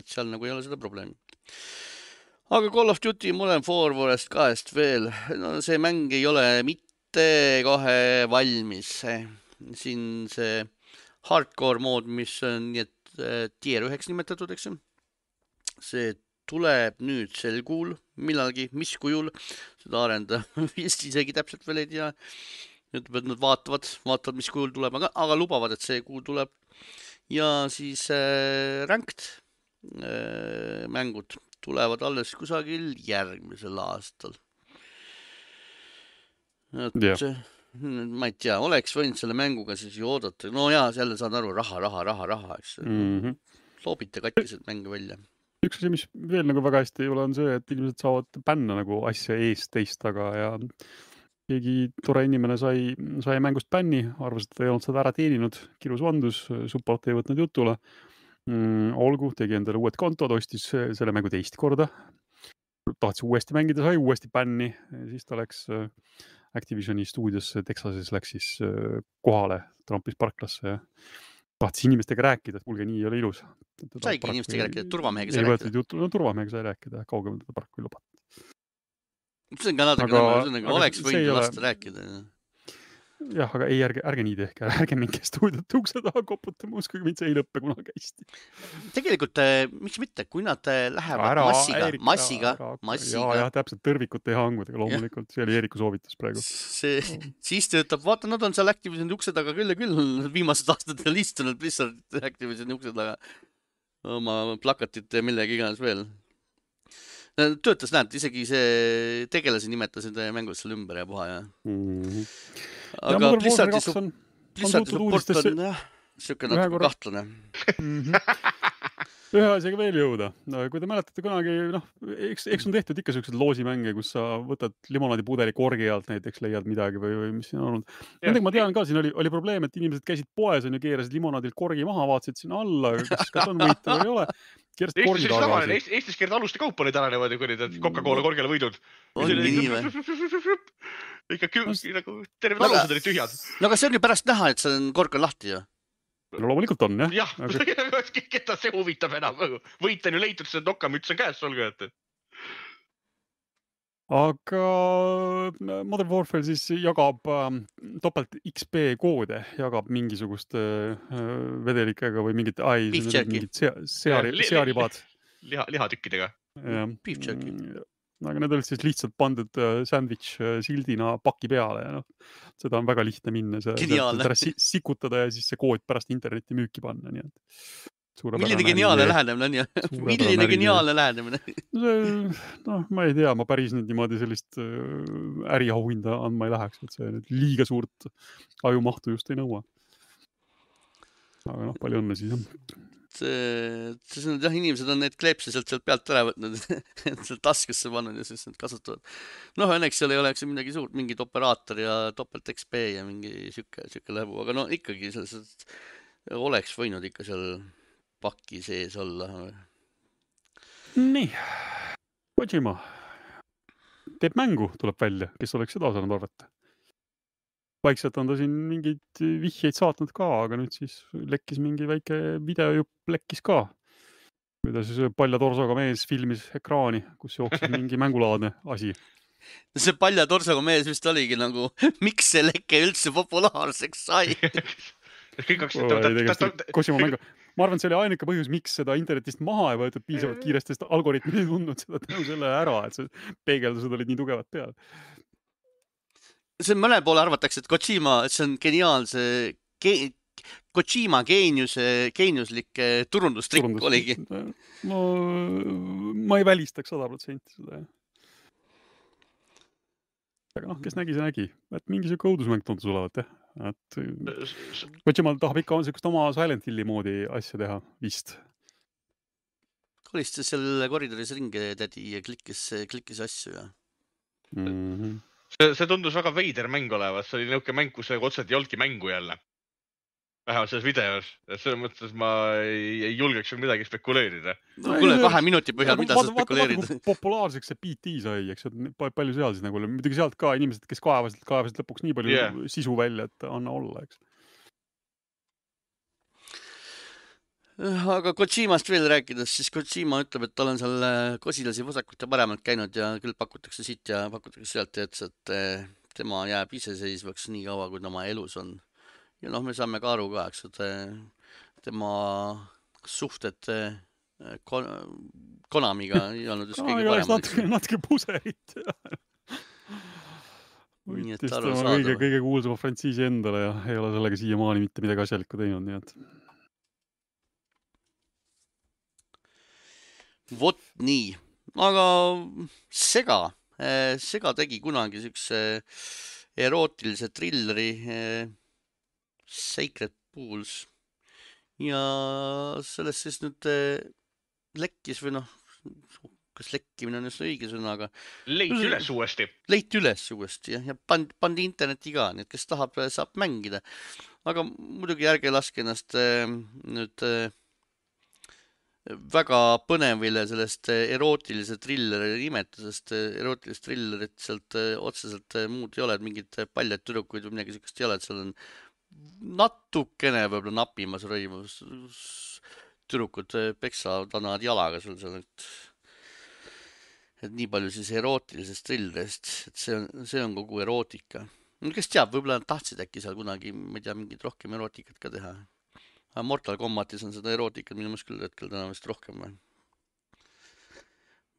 Speaker 1: Et seal nagu ei ole seda probleemi. Aga Call of Duty Modern Warfarest kahest veel, no see mäng ei ole mitte kohe valmis. Siin see hardcore mood, mis on nii et tier üheks nimetatud, eks ju. See tuleb nüüd sel kuul, millalgi, mis kujul, seda arenda vist isegi täpselt veel ei tea. Ütleb, et nad vaatavad, vaatavad, mis kujul tuleb, aga, aga lubavad, et see kuul tuleb. Ja siis äh, ranked äh, mängud tulevad alles kusagil järgmisel aastal. Et, yeah. Ma ei tea, oleks võinud selle mänguga siis ju oodata. No jaa, selle saad aru, raha, raha, raha, raha, eks.
Speaker 2: Mm-hmm.
Speaker 1: Loobite katkised mänge välja.
Speaker 2: Üks asi, mis veel nagu väga hästi ei ole, on see, et inimesed saavad bänna nagu asja eest teist taga ja keegi tore inimene sai, sai mängust bänni, arvas, et ei olnud seda ära teeninud, kirus vandus, support ei võtnud jutule. Mm, olgu, tegi endale uued kontod, ostis selle mängu teist korda. Tahtis uuesti mängida, sai uuesti bänni, siis ta läks Activisioni stuudiosse Texases, läks siis kohale Trumpis parklasse ja tahtis inimestega rääkida, et kuulge, nii ei ole ilus.
Speaker 1: Saigi inimestega rääkida, turvamehega sai rääkida.
Speaker 2: Juttu, no turvamehega sai rääkida, kaugem teda paraku ei lubat.
Speaker 1: See on ka natuke nõmme, oleks võinud lasta rääkida.
Speaker 2: Jah, aga ei, ärge, ärge nii tehke, ärge mingi stuudiot ukse taha koputama, uskuge mind, see ei lõppe kunagi hästi.
Speaker 1: Tegelikult, miks mitte, kui nad lähevad ära, massiga, Erik, massiga, ära, massiga.
Speaker 2: Ja, ja, täpselt tõrvikute ja hangudega, loomulikult, see oli Eeriku soovitus praegu.
Speaker 1: See, siis töötab, vaata, nad on seal Activisioni ukse taga küll ja küll, viimased aastad on istunud Blizzard Activisioni ukse taga oma plakatite millegi iganes veel. Töötas, näed, isegi see tegelasi nimetasid mängus seal ümber ja puha ja.
Speaker 2: Mm-hmm.
Speaker 1: Aga ja Blizzardi, su- Blizzardi support on jah, siuke natuke kahtlane.
Speaker 2: Mm-hmm. ühe asjaga veel jõuda. Kui te mäletate kunagi, noh, eks, eks on tehtud ikka sellised loosimänge, kus sa võtad limonaadipudeli korgi alt näiteks, leiad midagi või, või mis siin on olnud. Nendega ma tean ka, siin oli, oli probleem, et inimesed käisid poes on ja keerasid limonaadilt korgi maha, vaatasid sinna alla, kas, kas on võitu või ei ole. Keerasid korgi tagasi.
Speaker 3: Eestis, Eestis keerad aluste kaupa neid ära niimoodi, kui need Coca-Cola korgele võidud.
Speaker 1: Ongi nii või?
Speaker 3: Ikka kü-, nagu terve alused olid tühjad.
Speaker 1: No aga see on ju pärast näha, et see on kork on lahti ju.
Speaker 2: No loomulikult on, jah.
Speaker 3: Jah, aga... keda see huvitab enam. Võit on ju leitud, see nokamüts on käes olgu, et...
Speaker 2: Aga Modern Warfare siis jagab äh, topelt X P koode, jagab mingisugust äh, vedelikega või mingit, ai, mingit seari, searibaad.
Speaker 3: Liha, lihatükkidega.
Speaker 1: Beef jerky.
Speaker 2: Aga need olid siis lihtsalt pandud sandwich sildina paki peale ja noh, seda on väga lihtne minna, see sikutada ja siis see kood pärast internetti müüki panna, nii et
Speaker 1: milline geniaalne lähenemine on ju. Milline geniaalne lähenemine.
Speaker 2: noh, ma ei tea, ma päris nüüd niimoodi sellist äriauhinda andma ei läheks, et see nüüd liiga suurt ajumahtu just ei nõua. Aga noh, palju õnne siis on.
Speaker 1: See, see on, jah, inimesed on need kleepsi sealt, sealt pealt ära võtnud, sealt taskusse pannud ja siis need kasutavad. Noh, õnneks seal ei oleks midagi suurt, mingid operaator ja topelt X P ja mingi süke, süke läbu, aga no ikkagi selles, oleks võinud ikka seal paki sees olla.
Speaker 2: Nii, Kojima teeb mängu, tuleb välja, kes oleks seda osanud arvata. Vaikselt on ta siin mingid vihjeid saatnud ka, aga nüüd siis lekkis mingi väike videojupp lekkis ka. Kui ta siis palja torsoga mees filmis ekraani, kus jooksis mingi mängulaadne asi.
Speaker 1: See palja torsoga mees vist oligi nagu, miks see leke üldse populaarseks sai?
Speaker 2: Kojima mängu. Ma arvan, et see oli ainuke põhjus, miks seda internetist maha ei võetud piisavalt kiiresti, sest algoritmid ei tundnud seda tänu selle ära, et see peegeldused olid nii tugevad peal.
Speaker 1: See mõne poole arvatakse, et Kojima, et see on geniaalse, ge, Kojima geeniuse, geeniuslik turundustrikk Turundus. Oligi.
Speaker 2: No, ma ei välistaks sada protsenti seda. Aga noh, kes nägi, see nägi. Et mingi siuke õudusmäng tundus olevat, jah. Et Kojima tahab ikka on siukest oma Silent Hilli moodi asja teha, vist.
Speaker 1: Kolistas seal koridoris ringi tädi ja klikkis, klikkis asju ja...
Speaker 2: Mm-hmm.
Speaker 3: See, see tundus väga veider mäng olevat, see oli nõuke mäng, kus otseselt ei olnudki mängu jälle. Vähemalt selles videos. Selles mõttes ma ei, ei julgeks midagi spekuleerida.
Speaker 1: No, kuule, kahe minuti põhjal, mida sa spekuleerid?
Speaker 2: Vaata, vaata, populaarseks see P T sai, eks, palju seal siis nagu, muidugi sealt ka inimesed, kes kaevasid, kaevasid lõpuks nii palju yeah. sisu välja, et anna olla, eks.
Speaker 1: Aga Kojimast veel rääkides, siis Kojima ütleb, et tal on seal kosilasi vasakut ja paremalt käinud ja küll pakutakse siit ja pakutakse sealt ja ütles, et tema jääb iseseisvaks nii kaua, kui tema elus on. Ja noh, me saame ka aru ka, eks, et tema suhted Konamiga ei olnud just kõige paremad.
Speaker 2: Natuke, natuke puserit. Võitis tema kõige, kõige kuulsama frantsiisi endale ja ei ole sellega siiamaani mitte midagi asjalikku teinud, nii et...
Speaker 1: Vot nii, aga Sega, Sega tegi kunagi siukse erootilise trilleri Sacred Pools ja sellest siis nüüd lekkis või noh, kas lekkimine on just õige sõna, aga
Speaker 3: leiti üles uuesti.
Speaker 1: Leiti üles uuesti ja, ja pandi, pandi interneti ka, nii et kes tahab, saab mängida. Aga muidugi ärge laske ennast nüüd väga põnevile sellest erootilise trilleri nimetusest, erootilist trillerit sealt otseselt muud ei ole, et mingid paljad tüdrukuid või midagi sellist ei ole, et seal on natukene võib-olla napimas rõimus tüdrukud peksavad annavad jalaga sul seal, et, et nii palju siis erootilisest trillerist, et see on, see on kogu erootika. Kes teab, võib-olla nad tahtsid äkki seal kunagi, ma ei tea, mingid rohkem erootikat ka teha. Mortal Kombatis on seda erootikat minu mõttes küll hetkel täna vist rohkem või,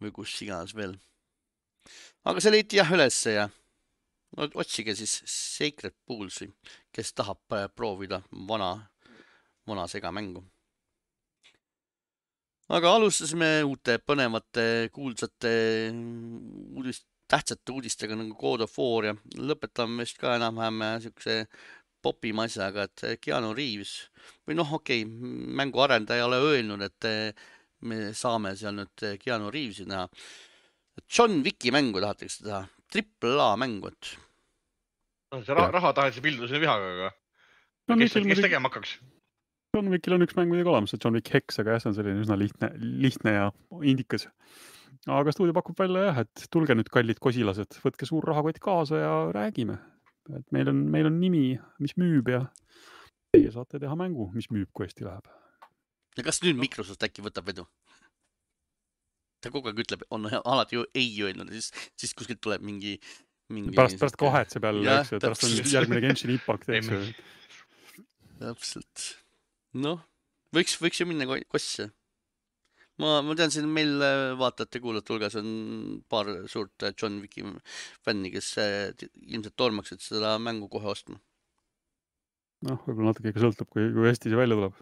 Speaker 1: või kus iganes veel. Aga see leiti jah ülesse ja otsige siis Sacred Poolsi, kes tahab proovida vana, vana Sega mängu. Aga alustasime uute põnevate kuulsate uudist, tähtsate uudistega nagu God of War ja lõpetame vist ka enam-vähem siukse popima asjaga, et Keanu Reeves või noh, okei okay,, mängu arendaja ei ole öelnud, et me saame seal nüüd Keanu Reevesi näha. John Wicki mängu tahetakse teha, triple A mängu, et
Speaker 3: see raha, raha taheti pilduse vihaga, aga
Speaker 2: John
Speaker 3: kes,
Speaker 2: Wickil
Speaker 3: kes
Speaker 2: muidugi-
Speaker 3: tegema hakkaks?
Speaker 2: John Wickil on üks mäng muidugi olemas, et John Wick Hex, aga jah, see on selline üsna lihtne, lihtne ja indikas. Aga stuudio pakub välja jah, et tulge nüüd kallid kosilased, võtke suur rahakott kaasa ja räägime. Et meil on, meil on nimi, mis müüb ja teie saate teha mängu, mis müüb, kui hästi läheb.
Speaker 1: ja kas nüüd Microsoft äkki võtab vedu? Ta kogu aeg ütleb, on alati ju ei öelnud, siis, siis kuskilt tuleb mingi, mingi
Speaker 2: Pärast, pärast kahetseb jälle,
Speaker 1: Jah,
Speaker 2: eks ju, pärast on
Speaker 1: täpselt.
Speaker 2: järgmine Genshin Impact, eks ju.
Speaker 1: Täpselt. Noh, võiks, võiks ju minna ko- kosse. Ma, ma tean, siin meil vaatajate kuulajate hulgas on paar suurt John Wicki fänni, kes eh, ilmselt tormaksid seda mängu kohe ostma.
Speaker 2: Noh, võib-olla natuke ikka sõltub, kui, kui hästi see välja tuleb.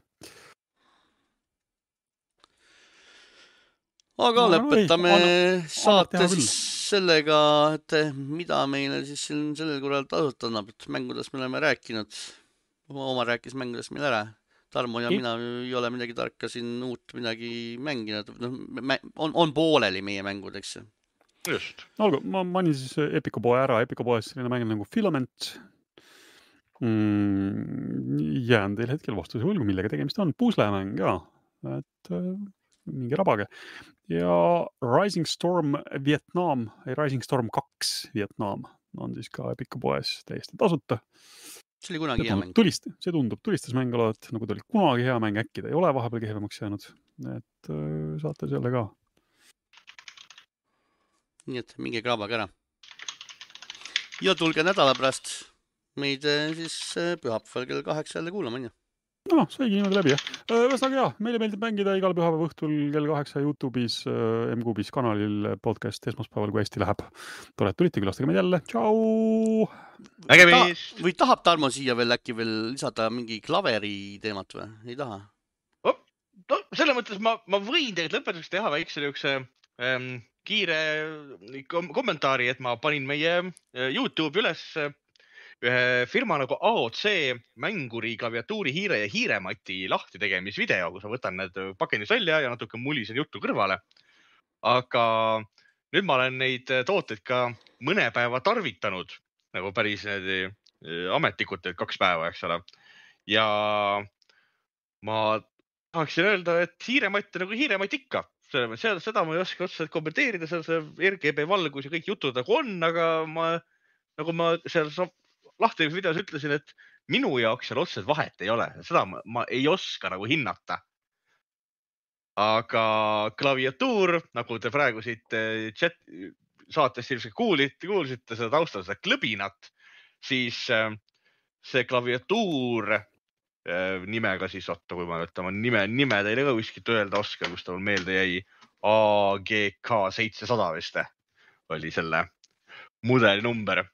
Speaker 1: Aga
Speaker 2: No, no
Speaker 1: lõpetame
Speaker 2: ei, anna-
Speaker 1: saate
Speaker 2: teha küll.
Speaker 1: siis sellega, et mida meile siis siin sellel korral tasuta annab, et mängudest me oleme rääkinud. Oma rääkis mängudest meil ära. Tarmo ja
Speaker 2: Ei.
Speaker 1: mina ei ole midagi tarka siin uut midagi mänginud. No, mä- on, on pooleli meie mängud, eks ju.
Speaker 3: Just.
Speaker 2: No olgu, ma mainin siis Epico poe ära. Epico poes selline mäng nagu Filament. Mm, jään teil hetkel vastuse võlgu, millega tegemist on. Puslemäng ka. Et äh, mingi rabage. Ja Rising Storm Vietnam, ei Rising Storm kaks Vietnam on siis ka Epico poes täiesti tasuta.
Speaker 1: See oli kunagi
Speaker 2: See
Speaker 1: hea
Speaker 2: tundub,
Speaker 1: mäng.
Speaker 2: tulist, see tundub tulistas mäng olevat, nagu ta oli kunagi hea mäng, äkki ta ei ole vahepeal kehvemaks jäänud. Et äh, saate selle ka.
Speaker 1: Nii et minge kraabage ära. Ja tulge nädala pärast meid eh, siis eh, pühapäeval kell kaheksa jälle kuulama, on ju.
Speaker 2: No, saigi niimoodi läbi, jah. Ühesõnaga jah, meile meeldib mängida igal pühapäeva õhtul kell kaheksa YouTube'is, M-Kuubis kanalil podcast esmaspäeval, kui hästi läheb. Tore, et tulite, külastage meid jälle. Tšau!
Speaker 3: Nägemis!
Speaker 1: Ta, või tahab Tarmo siia veel äkki veel lisada mingi klaveri teemat või? Ei taha?
Speaker 3: Oh, no, selles mõttes ma, ma võin tegelikult lõpetuseks teha väikse niisuguse ähm, kiire kom kommentaari, et ma panin meie äh, YouTube üles äh, ühe firma nagu A O C mänguri, klaviatuuri, hiire ja hiiremati lahti tegemisvideo, kus ma võtan need pakendis välja ja natuke mulisen juttu kõrvale. Aga nüüd ma olen neid tooteid ka mõne päeva tarvitanud, nagu päris need ametlikult kaks päeva, eks ole. Ja ma tahaksin öelda, et hiirematt on nagu hiirematt ikka. Seda, seda ma ei oska otseselt kommenteerida, seal see R G B valgus ja kõik jutud nagu on, aga ma, nagu ma seal lahti videos ütlesin, et minu jaoks seal otseselt vahet ei ole. Seda ma, ma ei oska nagu hinnata. Aga klaviatuur, nagu te praegu siit chat saatest ilmselt kuulite, kuulsite seda taustal seda klõbinat, siis see klaviatuur nimega siis, otta, kui ma nüüd oma nime, nime teile ka kuskilt öelda oskan, kus ta mul meelde jäi, A G K seitsesada vist oli selle mudeli number.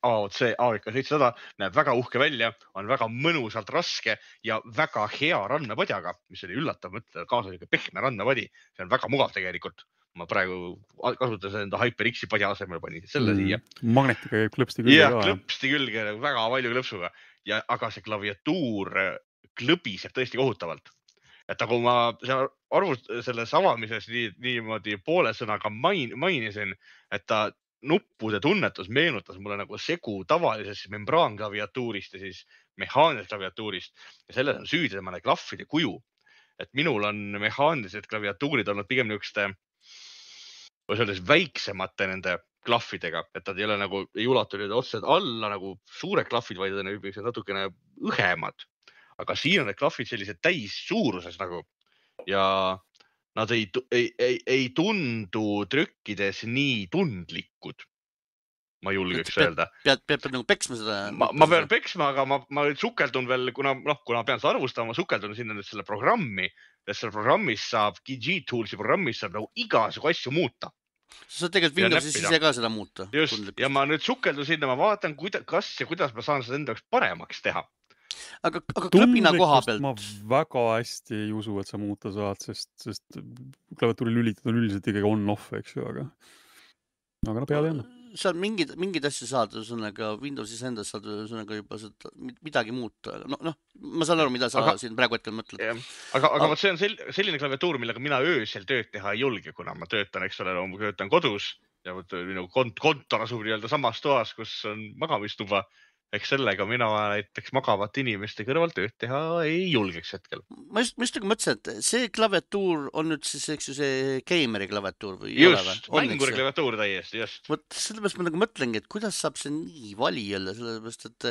Speaker 3: A O C A G K seitsesada näeb väga uhke välja, on väga mõnusalt raske ja väga hea randmepadjaga, mis oli üllatav mõtle, kaasa oli pehme randmepadi. See on väga mugav tegelikult. Ma praegu kasutasin enda HyperX-i padja asemel, panin selle mm, siia.
Speaker 2: Magnetiga käib klõpsti külge
Speaker 3: ja,
Speaker 2: ka.
Speaker 3: Ja, klõpsti külge, väga palju klõpsuga. Ja, aga see klaviatuur klõbiseb tõesti kohutavalt. Et nagu ma arvust, selles avamises nii, niimoodi poole sõnaga main, mainisin, et ta nuppude tunnetus meenutas mulle nagu segu tavalisest membraanklaviatuurist ja siis mehaanilisest klaviatuurist. Ja selles on süüdi temale klahvide kuju. Et minul on mehaanilised klaviatuurid olnud pigem niisuguste selles väiksemate nende klahvidega, et nad ei ole nagu, ei ulatu otseselt alla nagu suured klahvid, vaid on natukene õhemad. Aga siin on need klahvid sellised täis suuruses nagu ja nad ei, ei, ei, ei tundu trükkides nii tundlikud. Ma julgeks
Speaker 1: pead,
Speaker 3: öelda.
Speaker 1: Pead, pead, pead nagu peksma seda?
Speaker 3: Ma, ma pean peksma, aga ma, ma sukeldun veel, kuna, noh, kuna pean seda arvustama, ma sukeldun sinna nüüd selle programmi, et selle programmis saab, G-Toolsi programmis saab nagu igasugu asju muuta.
Speaker 1: Sa saad tegelikult Windowsis ise ka seda muuta.
Speaker 3: Just, ja ma nüüd sukeldun sinna, ma vaatan, kuida, kas ja kuidas ma saan seda enda jaoks paremaks teha.
Speaker 1: Aga, aga klõbina koha pealt?
Speaker 2: Ma väga hästi ei usu, et sa muuta saad, sest, sest klaviatuuri lülitud on üldiselt ikkagi on-off, eks ju, aga, aga no peale enne.
Speaker 1: seal mingid, mingid asju saad, ühesõnaga Windowsis endas saad ühesõnaga juba seda midagi muuta. No, noh, ma saan aru, mida sa aga, siin praegu hetkel mõtled.
Speaker 3: Aga, aga, aga vot see on sel, selline klaviatuur, millega mina öösel tööd teha ei julge, kuna ma töötan, eks ole, ma töötan kodus ja võt, minu kont, kontor asub nii-öelda samas toas, kus on magamistuba. Eks sellega mina näiteks magavat inimeste kõrval tööd teha ei julgeks hetkel.
Speaker 1: Ma just, ma just nagu mõtlesin, et see klaviatuur on nüüd siis, eks ju, see gameri klaviatuur või?
Speaker 3: Just, mänguri klaviatuur täiesti, just.
Speaker 1: Vot sellepärast ma nagu mõtlengi, et kuidas saab see nii vali jälle, sellepärast, et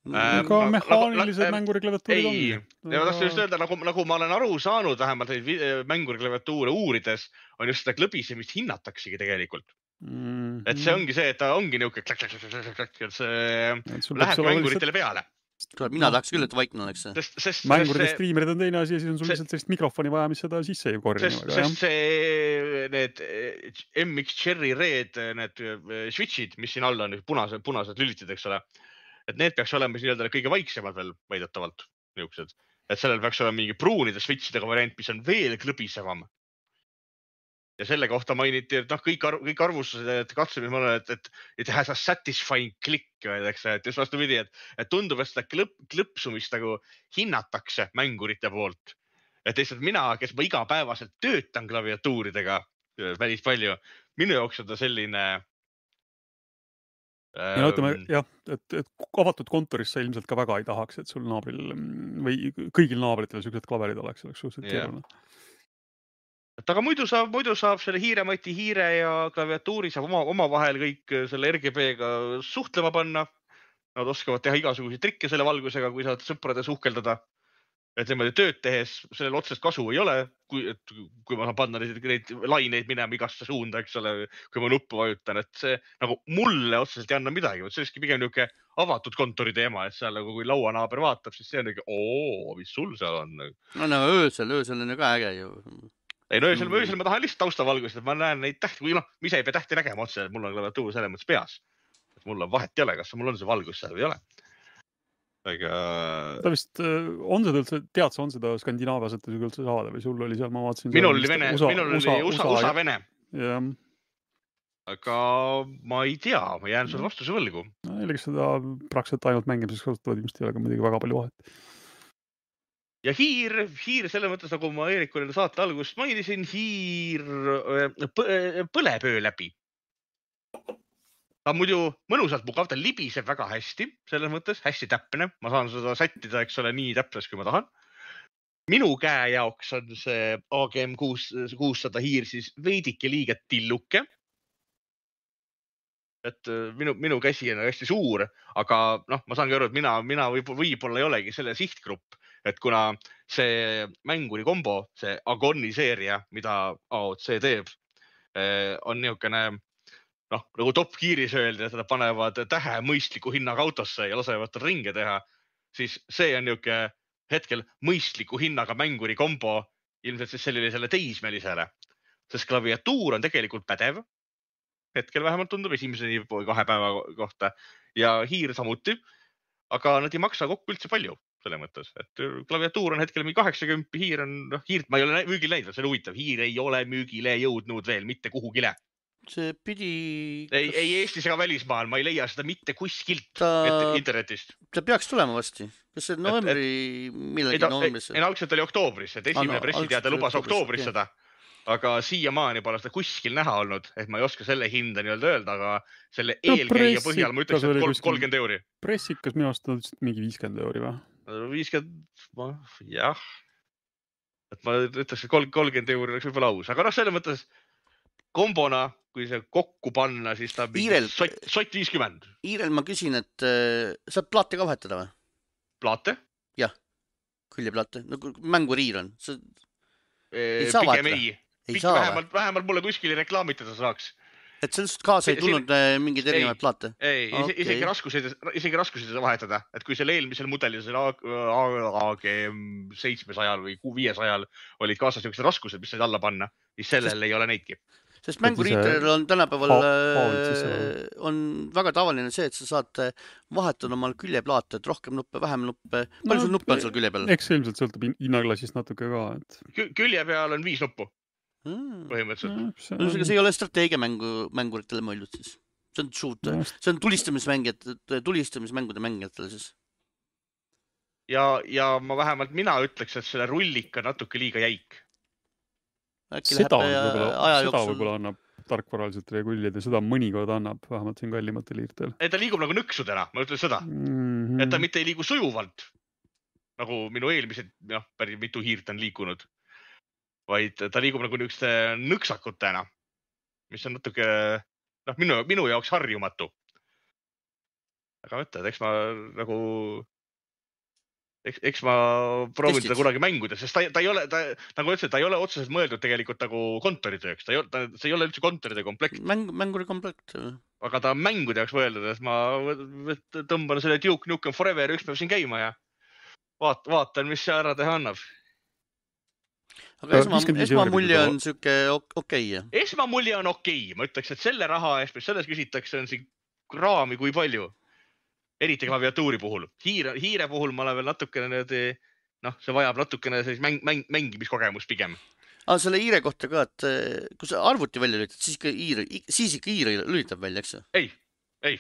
Speaker 2: Aga äh, mehaanilised nagu, mänguri klaviatuurid
Speaker 3: ei, on. Ja ma tahtsin just öelda, nagu, nagu ma olen aru saanud, vähemalt mänguri klaviatuure uurides, on just seda klõbisemist hinnataksegi tegelikult. Mm-hmm. Et see ongi see, et ta ongi niuke klak, klak, klak, klak, klak, et see läheb mänguritele peale.
Speaker 1: Mina tahaks küll, et vaikne oleks see.
Speaker 2: Sest, sest, Mänguride see, streamerid on teine asi ja siis on sul lihtsalt sellist mikrofoni vaja, mis seda sisse ei korri.
Speaker 3: Sest, sest see, need M X Cherry Red, need switchid, mis siin all on, punased, punased lülitid, eks ole. Et need peaks olema nii-öelda kõige vaiksemad veel väidetavalt niuksed. Et sellel peaks olema mingi pruunide switchidega variant, mis on veel klõbisevam. Ja selle kohta mainiti, et noh, kõik, arv, kõik arvustused, et katsumis ma olen, et, et, et has a satisfying click, eks, et just vastu pidi, et, et tundub, et seda klõp, klõpsumist nagu hinnatakse mängurite poolt. Et lihtsalt mina, kes ma igapäevaselt töötan klaviatuuridega päris palju, minu jaoks on ta selline...
Speaker 2: Ja no, ütleme, jah, et, et avatud kontoris sa ilmselt ka väga ei tahaks, et sul naabril või kõigil naabritel süksed klaverid oleks, oleks suhteliselt keeruline.
Speaker 3: Et aga muidu saab, muidu saab selle hiiremati hiire ja klaviatuuri saab oma, oma vahel kõik selle R G B-ga suhtlema panna. Nad oskavad teha igasuguseid trikke selle valgusega, kui saad sõprade suhkeldada. Et niimoodi tööd tehes sellel otsest kasu ei ole, kui, et, kui ma saan panna neid, neid laineid minema igasse suunda, eks ole, kui ma nuppu vajutan. Et see nagu mulle otseselt ei anna midagi. See olekski pigem niuke avatud kontori teema, et seal nagu kui lauanaaber vaatab, siis see on niuke, oo, mis sul seal on?
Speaker 1: No, no öösel, öösel on ju ka äge ju.
Speaker 3: Ei, no öösel, öösel ma tahan lihtsalt taustavalgust, et ma näen neid tähti, või noh, mis ei pea tähti nägema otse, et mul on klaviatuur selles mõttes peas. Et mul on vahet ei ole, kas mul on see valgus seal või ei ole. Aga...
Speaker 2: Ta vist, on seda üldse, tead sa, on seda Skandinaaviaselt üldse saada või sul oli seal, ma vaatasin...
Speaker 3: Minul oli Vene, USA, minul oli USA, USA, USA Vene.
Speaker 2: Ja.
Speaker 3: Aga ma ei tea, ma jään sulle vastuse võlgu.
Speaker 2: No, eelegi seda praktiliselt ainult mängimiseks kasutavad, ilmselt ei ole ka muidugi väga palju vahet.
Speaker 3: Ja hiir, hiir selle mõttes, nagu ma Eerikule saate algust mainisin, hiir põleb öö läbi. Ta muidu mõnusalt mugav, ta libiseb väga hästi, selles mõttes hästi täpne. Ma saan seda sättida, eks ole, nii täpses, kui ma tahan. Minu käe jaoks on see A G M kuussada hiir siis veidike liiget tilluke. Et minu, minu käsi on hästi suur, aga noh, ma saangi aru, et mina, mina võib-olla ei olegi selle sihtgrupp. Et kuna see mänguri kombo, see Agoni seeria, mida A O C teeb, on niisugune, noh, nagu top kiiris öeldi, et nad panevad tähe mõistliku hinnaga autosse ja lasevad tal ringe teha, siis see on niisugune hetkel mõistliku hinnaga mänguri kombo ilmselt siis sellisele teismelisele. Sest klaviatuur on tegelikult pädev, hetkel vähemalt tundub esimese kahe päeva kohta ja hiir samuti, aga nad ei maksa kokku üldse palju. Selle mõttes, et klaviatuur on hetkel kaheksakümmend, hiir on, noh, hiirt ma ei ole müügile näinud, see on huvitav, hiir ei ole müügile jõudnud veel mitte kuhugile.
Speaker 1: See pidi...
Speaker 3: Ei, ei Eestis ega välismaal, ma ei leia seda mitte kuskilt ta... internetist.
Speaker 1: Ta peaks tulema vasti. Kas see novembri, et, et... millegi
Speaker 3: ta,
Speaker 1: novembris?
Speaker 3: Ei, algselt oli oktoobris, et esimene ah, no, pressiteade lubas oktoobris okay. seda, aga siiamaani pole seda kuskil näha olnud, et ma ei oska selle hinda nii-öelda öelda, aga selle no, eelkäija põhjal ma ütleks, et kolmkümmend euri.
Speaker 2: Pressikas minu aasta mingi viiskümmend euri või?
Speaker 3: viiskümmend, jah. Et ma ütleks, et kolmkümmend euri oleks võib-olla aus, aga noh, selle mõttes kombona, kui see kokku panna, siis ta on
Speaker 1: Iirel,
Speaker 3: sott, sott viiskümmend.
Speaker 1: Iirel ma küsin, et äh, saab plaate ka vahetada või?
Speaker 3: Plaate?
Speaker 1: Jah, küljeplaate. Nagu mänguriir on. See...
Speaker 3: Ei saa vahetada? Ei, ei saa vähemalt, vähemalt mulle kuskil reklaamitada saaks.
Speaker 1: Et sellest kaasa ei tulnud siin... mingid erinevad plaate?
Speaker 3: Ei, okay. isegi raskuseid, isegi raskuseid vahetada. Et kui selle eelmisel mudelil, A G seitsmesajal või viiesajal olid kaasas niisugused raskused, mis said alla panna, siis sellel sest, ei ole neidki.
Speaker 1: Sest mänguriitel on tänapäeval ha, on väga tavaline see, et sa saad vahetada omal küljeplaate, et rohkem nuppe, vähem nuppe. Palju no, sul nuppe on seal külje peal?
Speaker 2: Eks ilmselt sõltub hinnaklassist natuke ka. Et...
Speaker 3: Külje peal on viis nuppu. Põhimõtteliselt.
Speaker 1: No, see ei ole strateegia mängu, mänguritele mõeldud siis. see on shoot,
Speaker 2: No,
Speaker 1: see on tulistamismängijad, tulistamismängude mängijatele siis.
Speaker 3: ja, ja ma vähemalt mina ütleks, et selle rullika natuke liiga jäik.
Speaker 1: Äkki
Speaker 2: seda
Speaker 1: läheb
Speaker 2: võib-olla,
Speaker 1: aja
Speaker 2: seda
Speaker 1: jooksul.
Speaker 2: võib-olla annab tarkvaraliselt regullida, seda mõnikord annab, vähemalt siin kallimatel hiirtel.
Speaker 3: Et ta liigub nagu nõksudena, ma ütlen seda.
Speaker 2: Mm-hmm.
Speaker 3: Et ta mitte ei liigu sujuvalt, nagu minu eelmised, jah, päris mitu hiirt on liikunud, vaid ta liigub nagu niisuguste nõksakutena, mis on natuke, noh, minu, minu jaoks harjumatu. Aga mõtled, eks ma nagu, eks, eks ma proovin
Speaker 1: Testid.
Speaker 3: teda kunagi mänguda, sest ta, ta ei ole, ta, nagu ütlesin, ta ei ole otseselt mõeldud tegelikult nagu kontoritööks, ta ei ole, ta, see ei ole üldse kontoritöö komplekt,
Speaker 1: Mäng, mänguri komplekt.
Speaker 3: aga ta on mängude jaoks mõeldud, et ma tõmban selle Duke Nukem Forever üks päev siin käima ja vaat, vaatan, mis see ära teha annab.
Speaker 1: Aga esma,
Speaker 2: viiskümmend viis
Speaker 1: esmamulje
Speaker 2: eurot
Speaker 1: on siuke okei. Okay.
Speaker 3: Esmamulje on okei, ma ütleks, et selle raha eest, mis selles küsitakse, on siin raami kui palju. Eriti klaviatuuri puhul. Hiire, hiire puhul ma olen veel natukene nüüd, noh, see vajab natukene sellist mäng, mäng, mängimiskogemus pigem.
Speaker 1: Aga selle hiire kohta ka, et kui sa arvuti välja lülitad, siis ikka hiire, siis ikka hiire lülitab välja, eks?
Speaker 3: Ei, ei.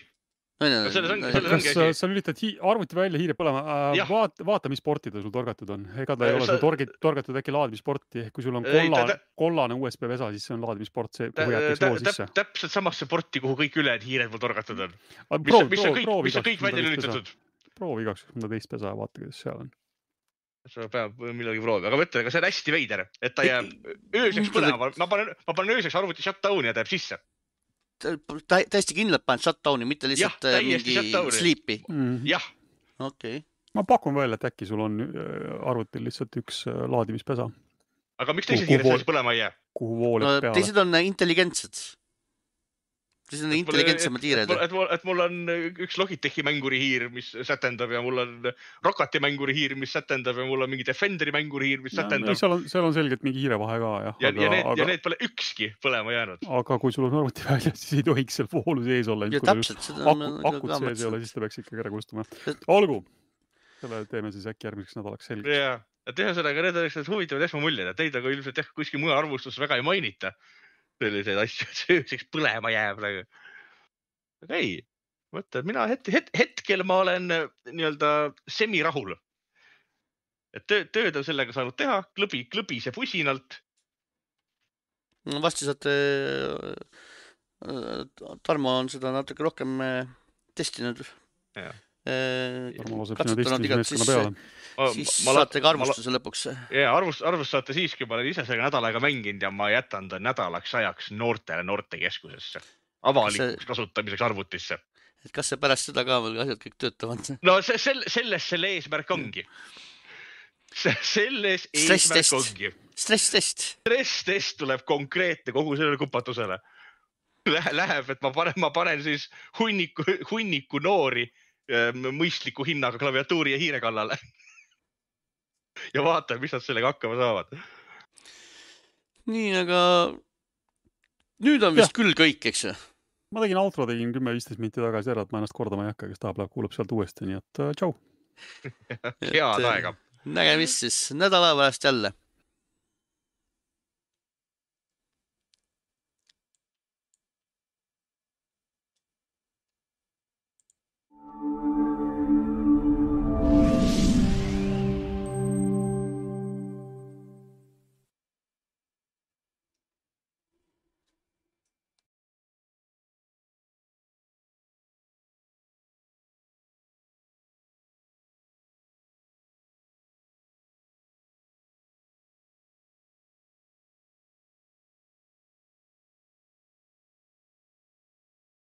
Speaker 3: No selles ongi, selles ongi
Speaker 2: asi. Kas sa lülitad hi arvuti välja hiire põlema? Vaata, vaata, mis sporti ta sul torgatud on. Ega ta ei ole sul torgid, torgatud äkki laadimissporti. Kui sul on kollane, kollane U S B vesa, siis see on laadimisport, see, kuhu jätakse vool sisse.
Speaker 3: Täpselt samasse sporti, kuhu kõik ülejad hiired mul torgatud on.
Speaker 2: Proov,
Speaker 3: mis on kõik,
Speaker 2: proov,
Speaker 3: mis on kõik välja lülitatud.
Speaker 2: Proovi igaks, mõnda teist pesa ja vaata, kuidas seal on.
Speaker 3: See peab millegi proovi. Aga mõtle, aga see on hästi veider, et ta jääb ööseks põlema. Ma panen, ma panen ööseks arvuti shutdowni ja ta jääb sisse.
Speaker 1: Täiesti kindlalt paned shutdowni, mitte lihtsalt
Speaker 3: ja,
Speaker 1: mingi sleepi.
Speaker 2: Mm.
Speaker 3: Jah.
Speaker 1: Okei. Okay.
Speaker 2: Ma pakun välja, et äkki sul on arvutil lihtsalt üks laadimispesa.
Speaker 3: Aga miks teised hiired selles põlema ei jää?
Speaker 2: Kuhu vooleb
Speaker 1: no,
Speaker 2: peale?
Speaker 1: Teised on intelligentsed. Teised on intelligentsemad hiired.
Speaker 3: Et, et, et, et mul on üks Logitechi mänguri hiir, mis sätendab ja mul on Rokati mänguri hiir, mis sätendab ja mul on mingi Defenderi mänguri hiir, mis
Speaker 2: ja,
Speaker 3: sätendab.
Speaker 2: Seal on, seal on selgelt mingi hiirevahe ka, jah.
Speaker 3: Ja,
Speaker 2: aga,
Speaker 3: ja, need,
Speaker 2: aga,
Speaker 3: ja need pole ükski põlema jäänud.
Speaker 2: Aga kui sul on arvuti välja, siis ei tohiks seal voolu sees olla.
Speaker 1: Ja täpselt. Seda
Speaker 2: aku, akut sees ei ole, siis ta peaks ikkagi ära kustuma. Olgu. Selle teeme siis äkki järgmiseks nädalaks selgeks.
Speaker 3: Ja, et ühesõnaga need oleks huvitavad esmamuljed, et teid aga ilmselt jah, kuskil muu arvustus väga ei mainita. Selliseid asju, et sööseks põlema jääb. Aga ei, mõtle, mina het, het, hetkel ma olen nii-öelda semirahul. Et töö, tööd on sellega saanud teha, klõbi, klõbise pusinalt.
Speaker 1: Vasti saate, Tarmo on seda natuke rohkem testinud.
Speaker 3: Ja.
Speaker 2: Tarmo laseb sinu testimismeeskonna peale.
Speaker 1: Siis ma, saate ka arvustuse ma, lõpuks.
Speaker 3: Ja, arvust, arvust saate siiski, ma olen ise selle nädalaga mänginud ja ma jätan ta nädalaks ajaks noortele noortekeskusesse. Avalikuks kasutamiseks arvutisse.
Speaker 1: Et kas see pärast seda ka veel asjad kõik töötavad?
Speaker 3: No see, selle, selles selle eesmärk ongi. Selles
Speaker 1: stress
Speaker 3: eesmärk
Speaker 1: test.
Speaker 3: ongi.
Speaker 1: Stress-test.
Speaker 3: Stress-test tuleb konkreetne kogu sellele kupatusele. Läheb, et ma panen, ma panen siis hunniku, hunniku noori mõistliku hinnaga klaviatuuri ja hiire kallale. Ja vaatan, mis nad sellega hakkama saavad.
Speaker 1: Nii, aga nüüd on vist ja. Küll kõik, eks ju?
Speaker 2: Ma tegin outro, tegin kümme viisteist minti tagasi ära, et ma ennast kordama ei hakka, kes tahab, kuulab sealt uuesti, nii et tšau.
Speaker 3: Head aega.
Speaker 1: Nägemist siis nädala pärast jälle.